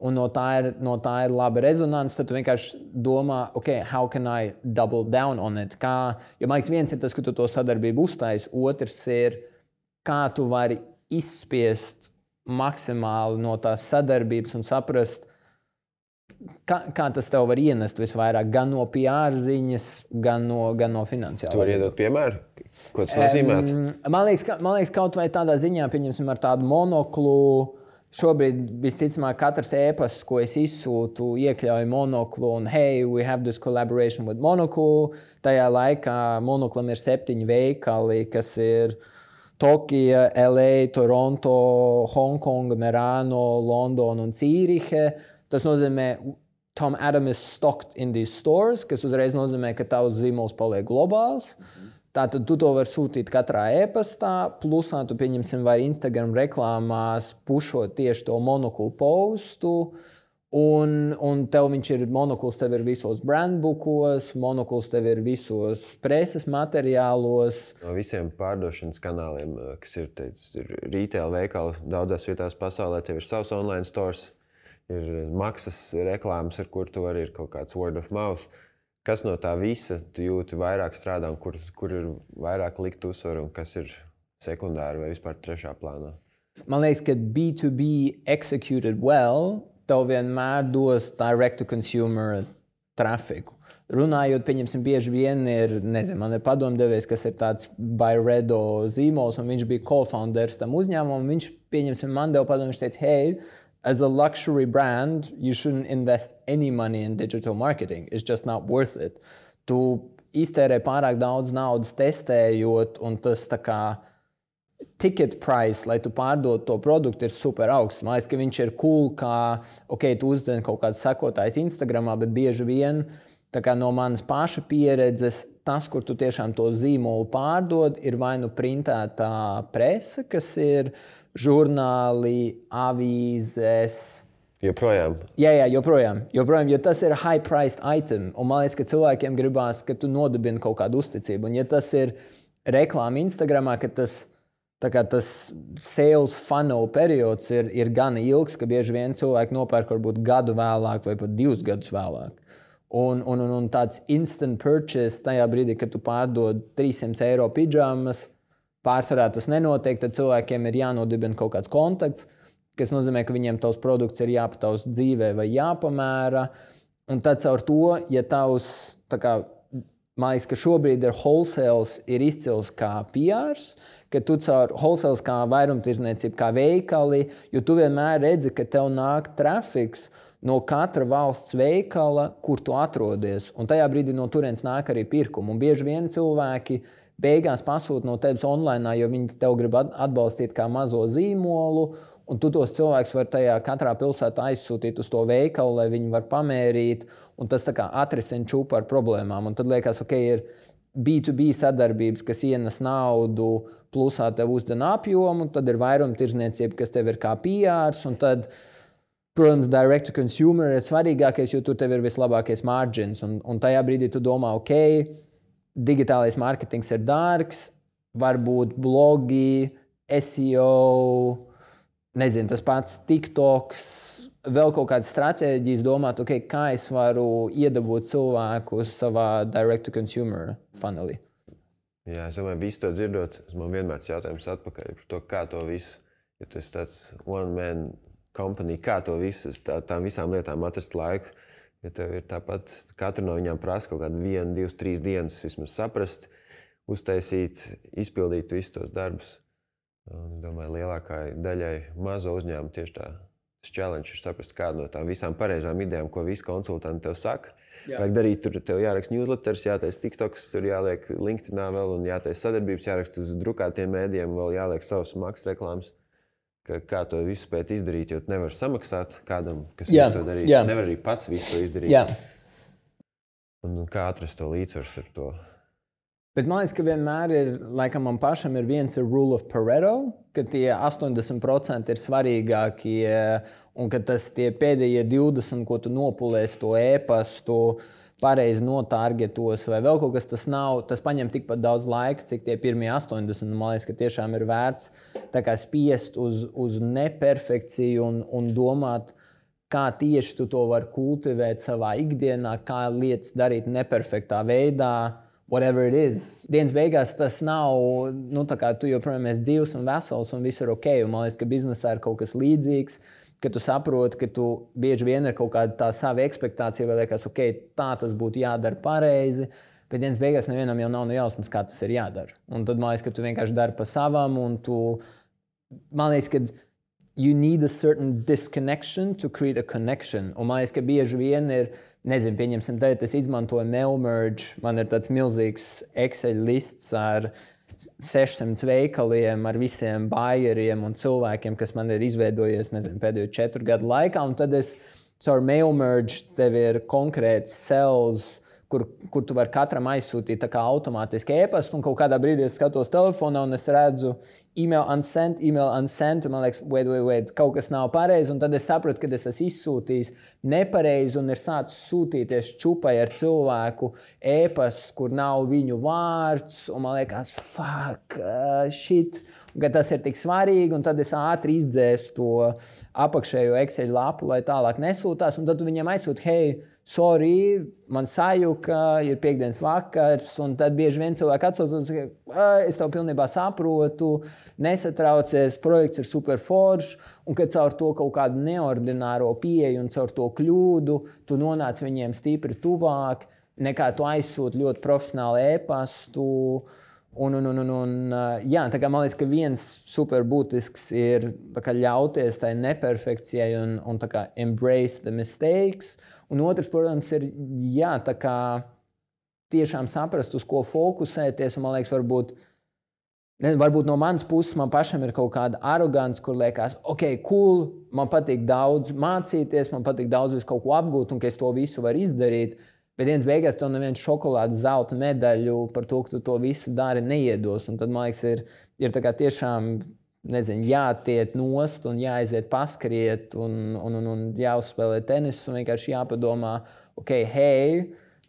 Speaker 2: un no, tā ir, no tā ir laba rezonance, tad tu vienkārši domā, ok, how can I double down on it? Kā, jo man liekas, viens ir tas, ka tu to sadarbību uztaisi, otrs ir, kā tu vari izspiest maksimāli no tās sadarbības un saprast, Kā, kā tas tev var ienest visvairāk, gan no P R ziņas, gan no, gan no finansiālā.
Speaker 1: Tu vari iedot piemēru? Ko tas nozīmē?
Speaker 2: Um, man, liekas, ka, man liekas, kaut vai tādā ziņā, pieņemsim ar tādu monoklu, šobrīd visticamāk katrs e-pasts, ko es izsūtu, iekļauj monoklu un hey, we have this collaboration with Monocle. Tajā laikā monoklam ir septiņi veikali, kas ir Tokija, L A, Toronto, Hongkonga, Merano, Londona un Cīrihe. Tas nozīmē, Tom Adam is stocked in these stores, kas uzreiz nozīmē, ka tavs zīmols paliek globāls. Tātad tu to vari sūtīt katrā e-pastā, plusā tu pieņemsim vai Instagram reklāmās pušot tieši to monoklu postu, un, un tev viņš ir, monokls tev ir visos brandbookos, monokls tev ir visos preses materiālos.
Speaker 1: No visiem pārdošanas kanāliem, kas ir, teic, ir retail veikali daudzās vietās pasaulē, tev ir savs online stores. Ir maksas reklāmas, ar kur tu vari ir kaut kāds word of mouth. Kas no tā visa tu jūti vairāk strādā un kur, kur ir vairāk likt uzsvaru un kas ir sekundāri vai vispār trešā plānā?
Speaker 2: Man liekas, ka B two B executed well, tev vienmēr dos direct to consumer trafiku. Runājot, pieņemsim, bieži vien ir, nezinu, man ir padomdevējs, kas ir tāds Byredo zīmols, un viņš bija co-founders tam uzņēmumam, viņš, pieņemsim, man deva padomu, viņš teica, hey, as a luxury brand, you shouldn't invest any money in digital marketing. It's just not worth it. Tu iztērē pārāk daudz naudas testējot, un tas tā kā ticket price, lai tu pārdod to produktu, ir super augsts. Man liekas, ka viņš ir cool, kā, ok, tu uzdien kaut kāds sekotājs Instagramā, bet bieži vien, tā kā no manas paša pieredzes, tas, kur tu tiešām to zīmolu pārdod, ir vai nu printētā prese, kas ir žurnāli, avīzes.
Speaker 1: Joprojām?
Speaker 2: Jā, jā, joprojām. joprojām, jo tas ir high-priced item. Un man liekas, ka cilvēkiem gribās, ka tu nodibini kaut kādu uzticību. Un ja tas ir reklāma Instagramā, ka tas, tā kā tas sales funnel periods ir, ir gana ilgs, ka bieži vien cilvēki nopērk varbūt gadu vēlāk vai pat divus gadus vēlāk. Un, un, un, un tāds instant purchase tajā brīdī, kad tu pārdod trīssimt eiro pidžamas, pārsvarā tas nenotiek, tad cilvēkiem ir jānodibina kaut kāds kontakts, kas nozīmē, ka viņiem tavs produkts ir jāpataus dzīvē vai jāpamēra. Un tad caur to, ja tavs, tā kā, man liekas, ka šobrīd ir wholesales ir izcils kā P Rs, ka tu caur wholesales kā vairumtirdzniecība, kā veikali, jo tu vienmēr redzi, ka tev nāk trafiks no katra valsts veikala, kur tu atrodies. Un tajā brīdī no turienes nāk arī pirkumu. Un bieži vien cilvēki beigās pasūta no tevis online, jo viņi tev grib atbalstīt kā mazo zīmolu, un tu tos cilvēkus var tajā katrā pilsētā aizsūtīt uz to veikalu, lai viņi var pamērīt, un tas tā kā atrisina čūpu ar problēmām. Un tad liekas, ok, ir B two B sadarbības, kas ienes naudu, plusā tev uzdena apjomu, tad ir vairumtirdzniecība, kas tev ir kā P Rs, un tad, protams, direct to consumer ir svarīgākais, jo tur tev ir vislabākais margins, un, un tajā brīdī tu domā, ok, digitālais mārketings ir dārgs, varbūt blogi, S E O, nezinu, tas pats TikToks, vēl kaut kādas stratēģijas domāt, okay, kā es varu iedabūt cilvēku savā direct-to-consumer funnelī.
Speaker 1: Jā, es domāju, visu to dzirdot, man vienmēr jautājums atpakaļ par to, kā to visu, ja tas tāds one-man company, kā to visu, tā, tām visām lietām atrast laiku, ja tev ir tāpat, katra no viņām prasa kaut kādu vienu, divas, trīs dienas vismaz saprast, uztaisīt, izpildīt visus tos darbus. Un, domāju, lielākai daļai mazo uzņēmumu tieši tā challenge ir saprast kādu no tām visām pareizām idejām, ko visi konsultanti tev saka. Jā. Vajag darīt, tur tev jāraksta newsletters, jātais TikToks, tur jāliek LinkedInā vēl un jātais sadarbības, jāraksta uz drukātiem mēdījiem, vēl jāliek savas maksas reklāmas. Ka, kā to visu spēt izdarīt, jo tu nevar samaksāt kādam, kas
Speaker 2: jā,
Speaker 1: visu to darīt.
Speaker 2: Jā.
Speaker 1: Nevar arī pats visu to izdarīt.
Speaker 2: Jā.
Speaker 1: Un kā atrast to līdzsvaru starp to?
Speaker 2: Bet man liekas, ka vienmēr ir, laikam man pašam ir viens ir rule of Pareto, ka tie astoņdesmit procenti ir svarīgākie un ka tas tie pēdējie divdesmit, ko tu nopulēsi to e-pastu, pareizi notargetos vai vēl kaut kas, tas nav, tas paņem tikpat daudz laika, cik tie pirmie astoņdesmit. Man liekas, ka tiešām ir vērts tā kā spiest uz, uz neperfekciju un, un domāt, kā tieši tu to vari kultivēt savā ikdienā, kā lietas darīt neperfektā veidā. Whatever it is. Dienas beigās tas nav, nu tā kā tu joprojām esi dzīvs un vesels un viss ir ok. Un man liekas, ka biznesā ir kaut kas līdzīgs, ka tu saproti, ka tu bieži vien ir kaut kāda tā sava ekspektācija, vai liekas, ok, tā tas būtu jādara pareizi, bet dienas beigās nevienam jau nav no jausmas, kā tas ir jādara. Un tad man liekas, ka tu vienkārši dari pa savam un tu, man liekas, ka you need a certain disconnection to create a connection. Un man liekas, ka bieži vien ir, nezinu, pieņemsim, tagad es izmantoju Mailmerge, man ir tāds milzīgs Excel lists ar sešsimt veikaliem, ar visiem buyeriem un cilvēkiem, kas man ir izveidojies, nezinu, pēdējo četru gadu laikā, un tad es caur Mailmerge tev ir konkrēts cells, kur, kur tu vari katram aizsūtīt tā kā automātiski e-pastu, un kaut kādā brīdī es skatos telefonā un es redzu email unsent, email unsent, un man liekas, wait, wait, wait, kaut kas nav pareizi, un tad es sapratu, ka es esmu izsūtījis nepareizi un ir sācis sūtīties čupai ar cilvēku e-pasts, kur nav viņu vārds, un man liekas, fuck, uh, shit, un ka tas ir tik svarīgi, un tad es ātri izdzēsu to apakšējo Excel lapu, lai tālāk nesūtās, un tad tu viņam aizsūti, hei, sorry, man sajuka, ir piekdienas vakars, un tad bieži vien cilvēki atsaucas, ka es tev pilnībā saprotu, nesatraucies, projekts ir super foršs, un kad caur to kaut kādu neordināro pieeju un caur to kļūdu, tu nonāc viņiem stipri tuvāk, nekā tu aizsūti ļoti profesionālu e-pastu. Un, un, un, un, un, jā, tā kā man liekas, ka viens super būtisks ir tā kā ļauties tai neperfekcijai un, un tā kā embrace the mistakes. Un otrs, protams, ir jā, tā kā tiešām saprast, uz ko fokusēties. Un man liekas, varbūt, ne, varbūt no manas puses man pašam ir kaut kāda arogance, kur liekas, ok, cool, man patīk daudz mācīties, man patīk daudz visu kaut ko apgūt un ka es to visu varu izdarīt. Bet dienas beigās tev neviens šokolādes zelta medaļu par to, ka tu to visu dari neiedos. Un tad, man liekas, ir, ir tā kā tiešām, nezinu, jātiet nost un jāaiziet paskriet un, un, un, un jāuzspēlē tenisu un vienkārši jāpadomā, ok, hei,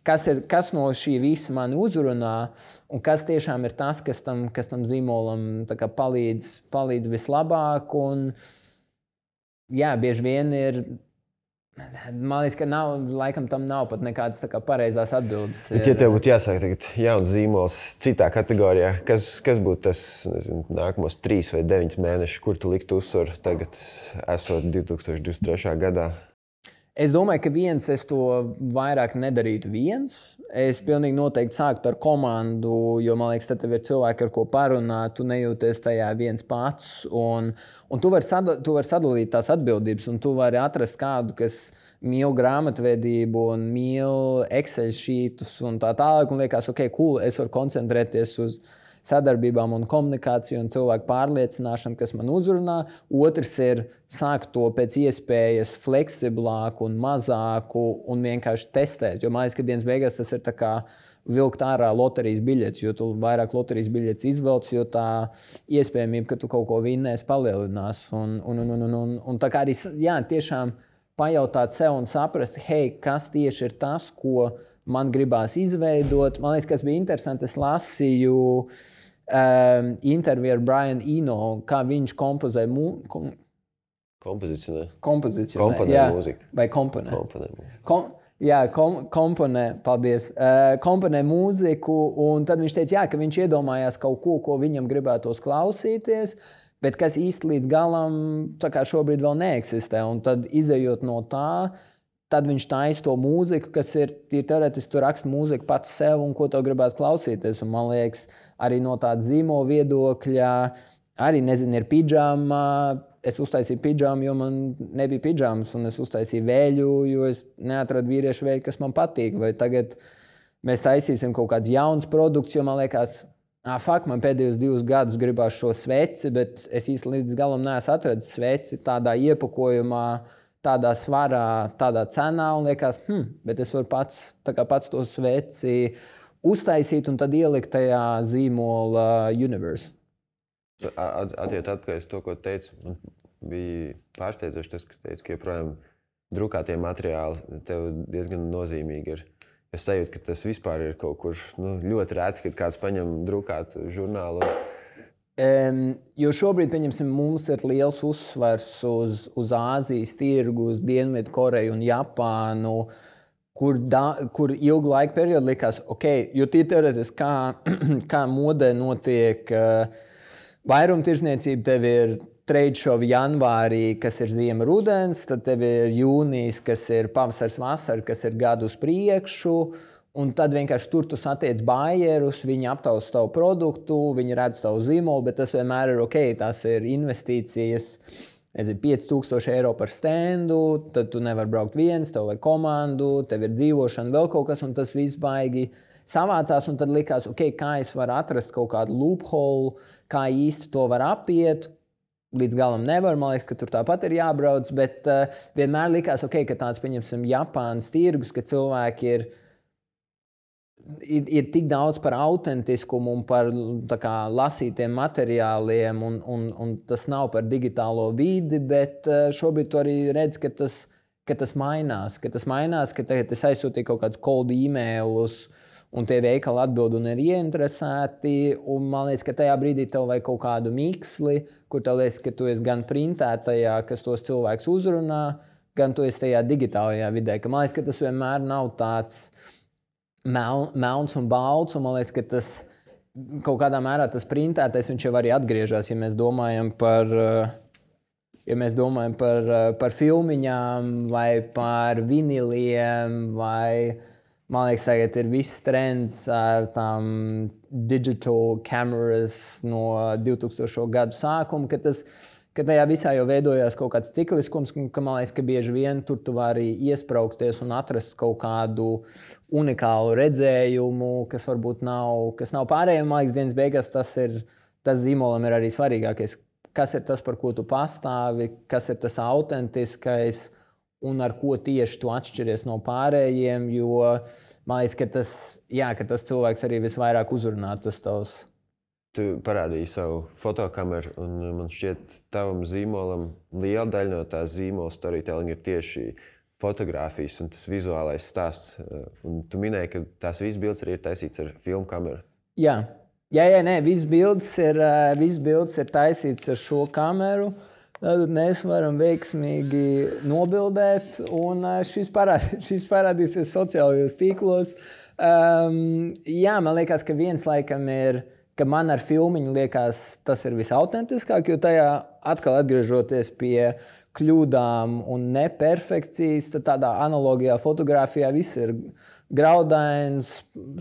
Speaker 2: kas, ir, kas no šī visa mani uzrunā un kas tiešām ir tas, kas tam, kas tam zīmolam tā kā palīdz, palīdz vislabāk. Un, jā, bieži vien ir... Man liekas, ka nav, laikam tam nav pat nekādas tā kā pareizās atbildes.
Speaker 1: Bet, ja tev būtu jāsāk tagad jauns zīmols citā kategorijā, kas, kas būtu tas, nezinu, nākamos trīs vai deviņus mēnešus, kur tu liktu uzsvaru tagad, esot divi tūkstoši divdesmit trešajā gadā?
Speaker 2: Es domāju, ka viens es to vairāk nedarītu viens. Es pilnīgi noteikti sāktu ar komandu, jo, man liekas, tad tev ir cilvēki, ar ko parunāt, tu nejūties tajā viens pats. Un, un tu vari sada, tu vari sadalīt tās atbildības, un tu vari atrast kādu, kas mīl grāmatvedību un mīl Excel sheetus un tā tālāk, un liekas, ok, cool, es varu koncentrēties uz sadarbībām un komunikāciju un cilvēku pārliecināšanu, kas man uzrunā. Otrs ir sākt to pēc iespējas fleksiblāku un mazāku un vienkārši testēt. Jo man liekas, ka dienas beigās tas ir tā kā vilkt ārā loterijas biļetes, jo tu vairāk loterijas biļetes izvelc, jo tā iespējamība, ka tu kaut ko vinnēs, palielinās. Un, un, un, un, un, un tā kā arī, jā, tiešām pajautāt sev un saprast, hei, kas tieši ir tas, ko man gribās izveidot. Man liekas, kas bija interesanti, es lasīju um, interviju ar Brian Eno, kā viņš kompozē mūziku. Kom
Speaker 1: Kompozicionē.
Speaker 2: Kompozicionē,
Speaker 1: komponē
Speaker 2: jā.
Speaker 1: Mūziku.
Speaker 2: Vai komponē.
Speaker 1: Komponē.
Speaker 2: Kom jā, kom komponē, paldies. Uh, komponē mūziku, un tad viņš teica, jā, ka viņš iedomājās kaut ko, ko viņam gribētos klausīties, bet kas īsti līdz galam tā kā šobrīd vēl neeksistē. Un tad izejot no tā, tad viņš taisa to mūziku, kas ir, ir teorētiski, tu raksti mūziku pats sev un ko tev gribētu klausīties. Un man liekas, arī no tāda zīmola viedokļa, arī, nezinu, ir pidžama. Es uztaisīju pidžamu, jo man nebija pidžamas, un es uztaisīju vēļu, jo es neatradu vīriešu vēļu, kas man patīk. Vai tagad mēs taisīsim kaut kāds jauns produkts, jo man liekas, ah, fuck, man pēdējos divus gadus gribās šo sveci, bet es īsti līdz galam neesmu atradis sveci tādā iepakojumā, tādā svarā, tādā cenā, un liekas, hm, bet es varu pats, tā kā pats to sveci uztaisīt un tad ielikt tajā zīmola universe.
Speaker 1: Attiet atpakaļ uz to, ko teicu, man bija pārsteidzoši tas, ka teicu, ka joprojām drukātie materiāli tev diezgan nozīmīgi ir. Es sajūtu, ka tas vispār ir kaut kur nu, ļoti rēti, kad kāds paņem drukātu žurnālu.
Speaker 2: Um, jo šobrīd, pieņemsim, mums ir liels uzsvars uz, uz Āzijas tirgu, uz Dienvidu Koreju un Japānu, kur, da, kur ilgu laiku periodu likās, ok, jo tie teorētiski, kā, kā modē notiek uh, vairumtirdzniecība, tev ir trade show janvārī, kas ir ziema rudens, tad tev ir jūnijas, kas ir pavasars vasara, kas ir gadu uz priekšu, un tad vienkārši tur tu satiec bājerus, viņi aptausa tavu produktu, viņi redz tavu zīmolu, bet tas vienmēr ir ok, tās ir investīcijas, nezinu, pieci tūkstoši eiro par standu, tad tu nevar braukt viens, tev vajag komandu, tev ir dzīvošana, vēl kaut kas, un tas viss baigi savācās, un tad likās, ok, kā es varu atrast kaut kādu loophole, kā īsti to var apiet. Līdz galam nevar, man liekas, ka tur tāpat ir jābrauc, bet uh, vienmēr likās, ok, ka tāds, pieņemsim, Japānas tirgus, ka cilvēki ir, ir, ir tik daudz par autentiskumu un par tā kā, lasītiem materiāliem, un, un, un tas nav par digitālo vidi, bet uh, šobrīd tu arī redz, ka tas, ka tas mainās, ka tas mainās, ka tagad es aizsūtīju kaut kādus cold e-mailus, un tie veikali atbild un ir ieinteresēti, un man liekas, ka tajā brīdī tev vajag kaut kādu miksli, kur tev liekas, ka tu esi gan printētajā, kas tos cilvēkus uzrunā, gan tu esi tajā digitālajā vidē. Ka man liekas, ka tas vienmēr nav tāds mel, melns un balts, un man liekas, ka tas kaut kādā mērā tas printētais, viņš jau arī atgriežas, ja mēs domājam par, ja mēs domājam par, par filmiņām vai par viniliem vai man liekas, tagad ir viss trends ar tām digital cameras no divtūkstošo gadu sākuma, ka, tas, ka tajā visā jau veidojās kaut kāds cikliskums, ka man liekas, ka bieži vien tur tu vari iespraukties un atrast kaut kādu unikālu redzējumu, kas varbūt nav, kas nav pārējiem. Man liekas, dienas beigās tas ir, tas zīmolam ir arī svarīgākais. Kas ir tas, par ko tu pastāvi, kas ir tas autentiskais, un ar ko tieši tu atšķiries no pārējiem, jo man liekas, ka tas, jā, ka tas cilvēks arī visvairāk uzrunā tas tavs.
Speaker 1: Tu parādīji savu fotokameru, un man šķiet, tavam zīmolam liela daļa no tās zīmola storytelling ir tieši fotogrāfijas un tas vizuālais stāsts. Un tu minēji, ka tās visas bildes arī ir taisīts ar filmu kameru.
Speaker 2: Jā, jā, jā nē, visas bildes ir, visas bildes ir taisīts ar šo kameru. Tad mēs varam veiksmīgi nobildēt, un šis, parād, šis parādīsies sociālajos tīklos. Um, jā, man liekas, ka viens laikam ir, ka man ar filmiņu liekas, tas ir visautentiskāk, jo tajā atkal atgriežoties pie kļūdām un neperfekcijas, tad tādā analogijā fotogrāfijā viss ir graudains,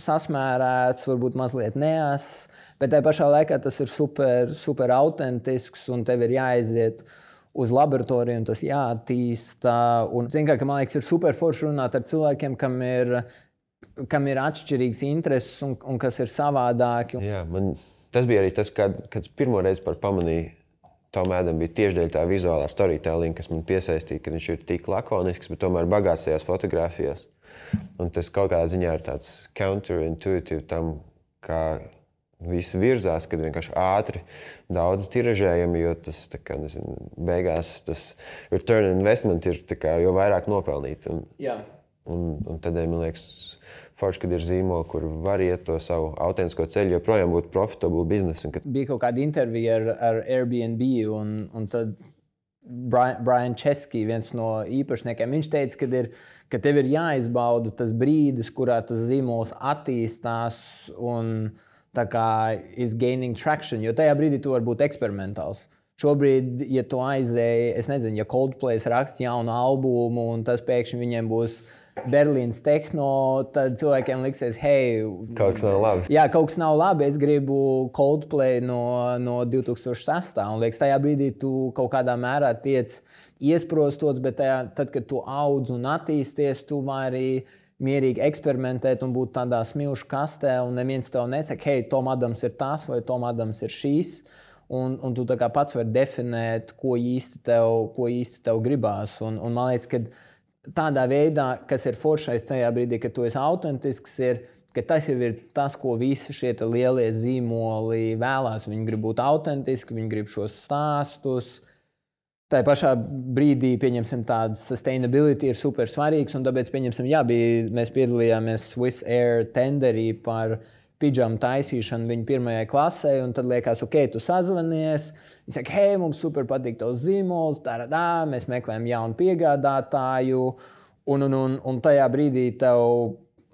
Speaker 2: sasmērēts, varbūt mazliet neās, bet tajā pašā laikā tas ir super, super autentisks un tev ir jāaiziet uz laboratoriju un tas jāattīsta. Un, zin kā, ka man liekas, ir super forši runāt ar cilvēkiem, kam ir, kam ir atšķirīgs intereses un, un kas ir savādāki.
Speaker 1: Jā, man tas bija arī tas, kad, kad pirmo reizi par pamanīju Tom Adam bija tieši dēļ tā vizuālā storytelling, kas man piesaistīja, ka viņš ir tik lakonisks, bet tomēr bagāts tajās fotogrāfijās. Un tas kaut kādā ziņā ir tāds counterintuitive tam, kā viss virzās, kad vienkārši ātri daudz tiražējami, jo tas, tā kā, nezinu, beigās tas return investment ir tā kā, jo vairāk nopelnīt. Un,
Speaker 2: Jā.
Speaker 1: un, un tādēļ, man liekas, forši, kad ir zīmoli, kur var iet to savu autentisko ceļu, joprojām būtu profitable biznesu. Kad...
Speaker 2: Bija kaut kāda intervija ar, ar Airbnb, un, un tad Brian, Brian Chesky, viens no īpašniekiem, viņš teica, ka, ir, ka tev ir jāizbauda tas brīdis, kurā tas zīmols attīstās un tā kā is gaining traction, jo tajā brīdī tu var būt eksperimentāls. Šobrīd, ja tu aizēji, es nezinu, ja Coldplay raksta jaunu albumu un tas pēkšņi viņiem būs Berlīnas tehno, tad cilvēkiem liksies, hei,
Speaker 1: kaut kas nav labi.
Speaker 2: Jā, kaut kas nav labi, es gribu Coldplay no, no divi tūkstoši sestā. Un liekas, tajā brīdī tu kaut kādā mērā tiec iesprostots, bet tajā, tad, kad tu audz un attīsties, tu vari mierīgi eksperimentēt un būt tādā smilšu kastē, un neviens tev nesaka, hei, Tom Adams ir tas vai Tom Adams ir šīs. Un, un tu tā kā pats vari definēt, ko īsti tev, ko īsti tev gribās. Un, un man liekas, ka tādā veidā, kas ir foršais tajā brīdī, kad tu esi autentisks, ir, ka tas jau ir tas, ko visi šie lielie zīmoli vēlās. Viņi grib būt autentiski, viņi grib šos stāstus. Tā pašā brīdī, pieņemsim, tādu sustainability ir super svarīgs, un tāpēc, pieņemsim, jā, bija, mēs piedalījāmies Swiss Air tenderī par pidžamu taisīšanu viņa pirmajai klasē, un tad liekas, ok, tu sazvanies, viņi saka, hei, mums super patīk tavs zīmols, tā, tā, mēs meklējam jaunu piegādātāju, un, un, un, un tajā brīdī tev,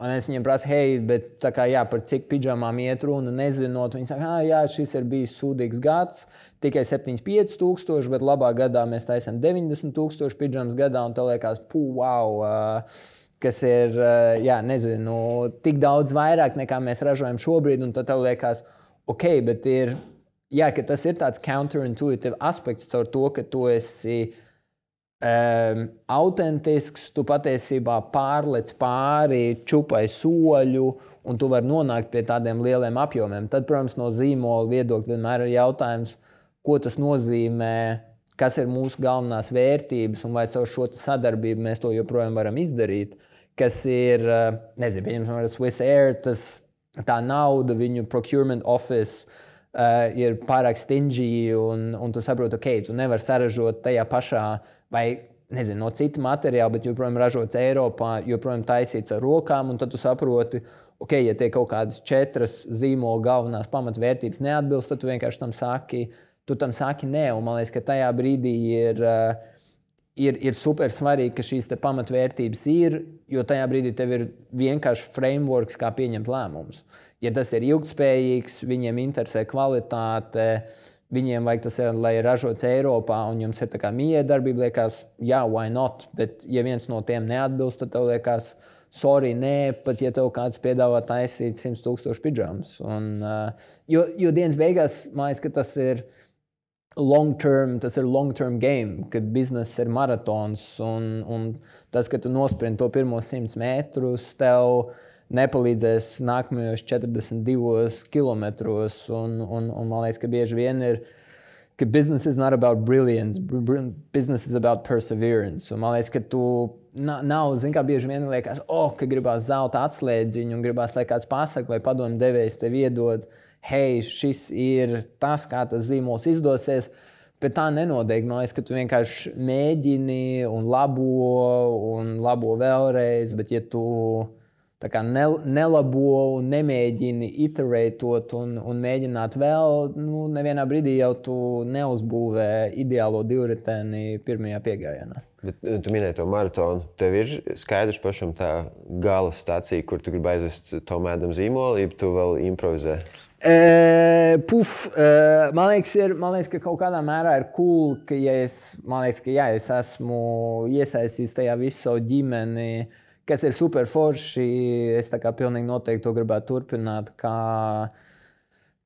Speaker 2: un es viņiem prasu, hei, bet tā kā jā, par cik pidžamām iet runa, nezinot, viņi saka, ah, jā, šis ir bijis sūdīgs gads, tikai septiņdesmit pieci tūkstoši, bet labā gadā mēs taisam deviņdesmit tūkstoši pidžamas gadā, un tev liekas, pū, wow, uh, kas ir, jā, nezinu, tik daudz vairāk nekā mēs ražojam šobrīd, un tad tev liekas, ok, bet ir, jā, ka tas ir tāds counterintuitive aspekts caur to, ka tu esi um, autentisks, tu patiesībā pārlec pāri čupai soļu, un tu vari nonākt pie tādiem lieliem apjomiem. Tad, protams, no zīmola viedokļa vienmēr ir jautājums, ko tas nozīmē, kas ir mūsu galvenās vērtības, un vai caur šo sadarbību mēs to joprojām varam izdarīt. Kas ir, nezinu, pieņemsim, ar Swiss Air, tas, tā nauda, viņu procurement office uh, ir pārāk stingy, un, un tu saproti, ok, tu nevar saražot tajā pašā, vai, nezinu, no cita materiāla, bet joprojām ražots Eiropā, joprojām taisīts ar rokām, un tad tu saproti, ok, ja tie kaut kādas četras zīmola galvenās pamatvērtības neatbilst, tad tu vienkārši tam saki, tu tam saki nē, un man liekas, ka tajā brīdī ir... Uh, Ir, ir super svarīgi, ka šīs te pamatvērtības ir, jo tajā brīdī tev ir vienkārši frameworks, kā pieņemt lēmumus. Ja tas ir ilgtspējīgs, viņiem interesē kvalitāte, viņiem vajag tas, lai ir ražots Eiropā, un jums ir tā kā miedarbība, liekas, jā, why not? Bet ja viens no tiem neatbilst, tad tev liekas, sorry, nē, pat ja tev kāds piedāvā taisīt simt tūkstoši pidžamas. Un, uh, jo, jo dienas beigās, man liekas, ka tas ir long term, tas ir long term game, kad bizness ir maratons, un, un tas, ka tu nosprinti to pirmos simts metrus, tev nepalīdzēs nākamajos četrdesmit divos kilometros, un, un, un man liekas, ka bieži vien ir, ka business is not about brilliance, business is about perseverance, un man liekas, ka tu nav, zin kā bieži vien liekas, oh, ka gribās zelta atslēdziņu, un gribās, lai kāds pasaka, vai padomu devējs tev iedod, hei, šis ir tas, kā tas zīmols izdosies, bet tā nenotiek. Man liekas, ka tu vienkārši mēģini un labo, un labo vēlreiz, bet ja tu tā kā nelabo un nemēģini iterētot un, un mēģināt vēl, nu, nevienā brīdī jau tu neuzbūvē ideālo divriteni pirmajā piegājienā.
Speaker 1: Bet tu minēji to maratonu. Tev ir skaidrs pašam tā gala stācija, kur tu gribi aizvest Tom Adams zīmolu, ja tu vēl improvizē?
Speaker 2: Uh, puf, uh, man, liekas, ir, man liekas, ka kaut kādā mērā ir cool, ka ja es, man liekas, ka jā, es esmu iesaistīts tajā visu savu ģimeni, kas ir super forši. Es tā kā pilnīgi noteikti to gribētu turpināt kā,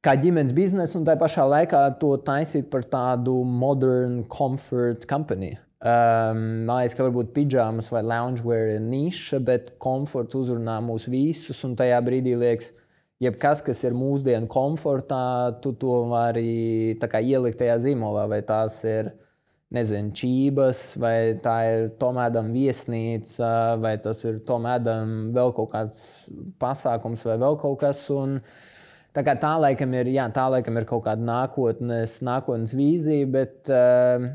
Speaker 2: kā ģimenes biznesu un tā pašā laikā to taisīt par tādu modern comfort company. Um, man liekas, ka varbūt pidžamas vai loungewear ir niša, bet komforts uzrunā mūs visus, un tajā brīdī liekas, jebkas, kas ir mūsdienu komfortā, tu to vari tā kā ielikt tajā zīmolā, vai tās ir, nezinu, čības, vai tā ir Tom Adams viesnīca, vai tas ir Tom Adams vēl kaut kāds pasākums vai vēl kaut kas, un tā kā tā laikam ir, jā, tā laikam ir kaut kāda nākotnes, nākotnes vīzija, bet, uh,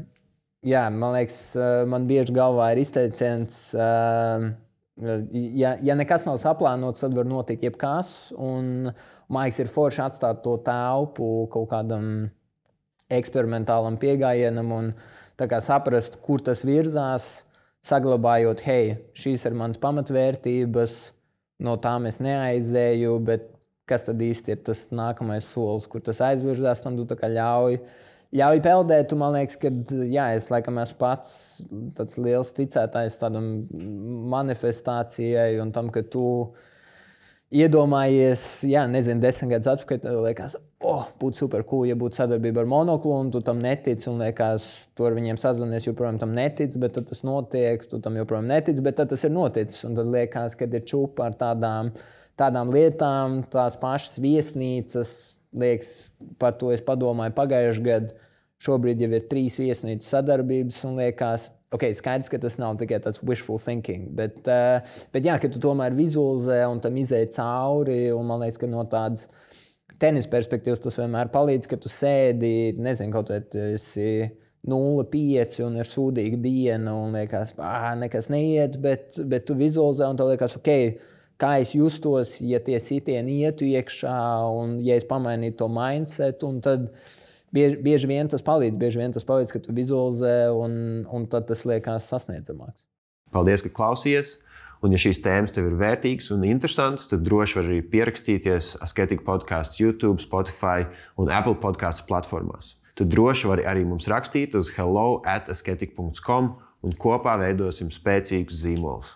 Speaker 2: jā, man liekas, uh, man bieži galvā ir izteiciens, uh, Ja, ja nekas nav saplānots, tad var notikt jebkas. Un, man liekas, ir forši atstāt to telpu kaut kādam eksperimentālam pieejamam un saprast, kur tas virzās, saglabājot, hei, šīs ir manas pamatvērtības, no tām es neaizēju, bet kas tad īsti ir tas nākamais solis, kur tas aizvirzās, tam tu ļauj. Ļauj peldēt, un man liekas, ka jā, es laikam esmu pats tāds liels ticētājs tādam manifestācijai un tam, ka tu iedomājies, jā, nezinu, desmit gadus atpakaļ, tad liekas, oh, būtu super cool, ja būtu sadarbība ar Monoklu, un tu tam netici, un liekas, tu ar viņiem sazvanies, joprojām tam netici, bet tad tas notiek, tu tam joprojām netici, bet tad tas ir noticis, un tad liekas, ka ir čupa ar tādām, tādām lietām, tās pašas viesnīcas, liekas, par to es padomāju pagājušajā gadā. Šobrīd jau ir trīs viesnīcu sadarbības un liekas, ok, skaidrs, ka tas nav tikai tāds wishful thinking, bet, uh, bet jā, ka tu tomēr vizualizē un tam izēj cauri, un man liekas, ka no tādas tenis perspektīvas tas vienmēr palīdz, ka tu sēdi, nezinu, kaut vai tu esi nulle pieci un ir sūdīga diena un liekas, ah, nekas neiet, bet, bet tu vizualizē un tev liekas, ok, kā es justos, ja tie sitieni ietu iekšā un ja es pamainītu to mindset, un tad bieži, bieži vien tas palīdz, bieži vien tas palīdz, ka tu vizualizē un, un tad tas liekas sasniedzamāks.
Speaker 1: Paldies, ka klausījies, un ja šīs tēmas tev ir vērtīgas un interesantas, tad droši var arī pierakstīties Asketika podcasts YouTube, Spotify un Apple podcasts platformās. Tu droši vari arī mums rakstīt uz hello at asketika dot com un kopā veidosim spēcīgus zīmolus.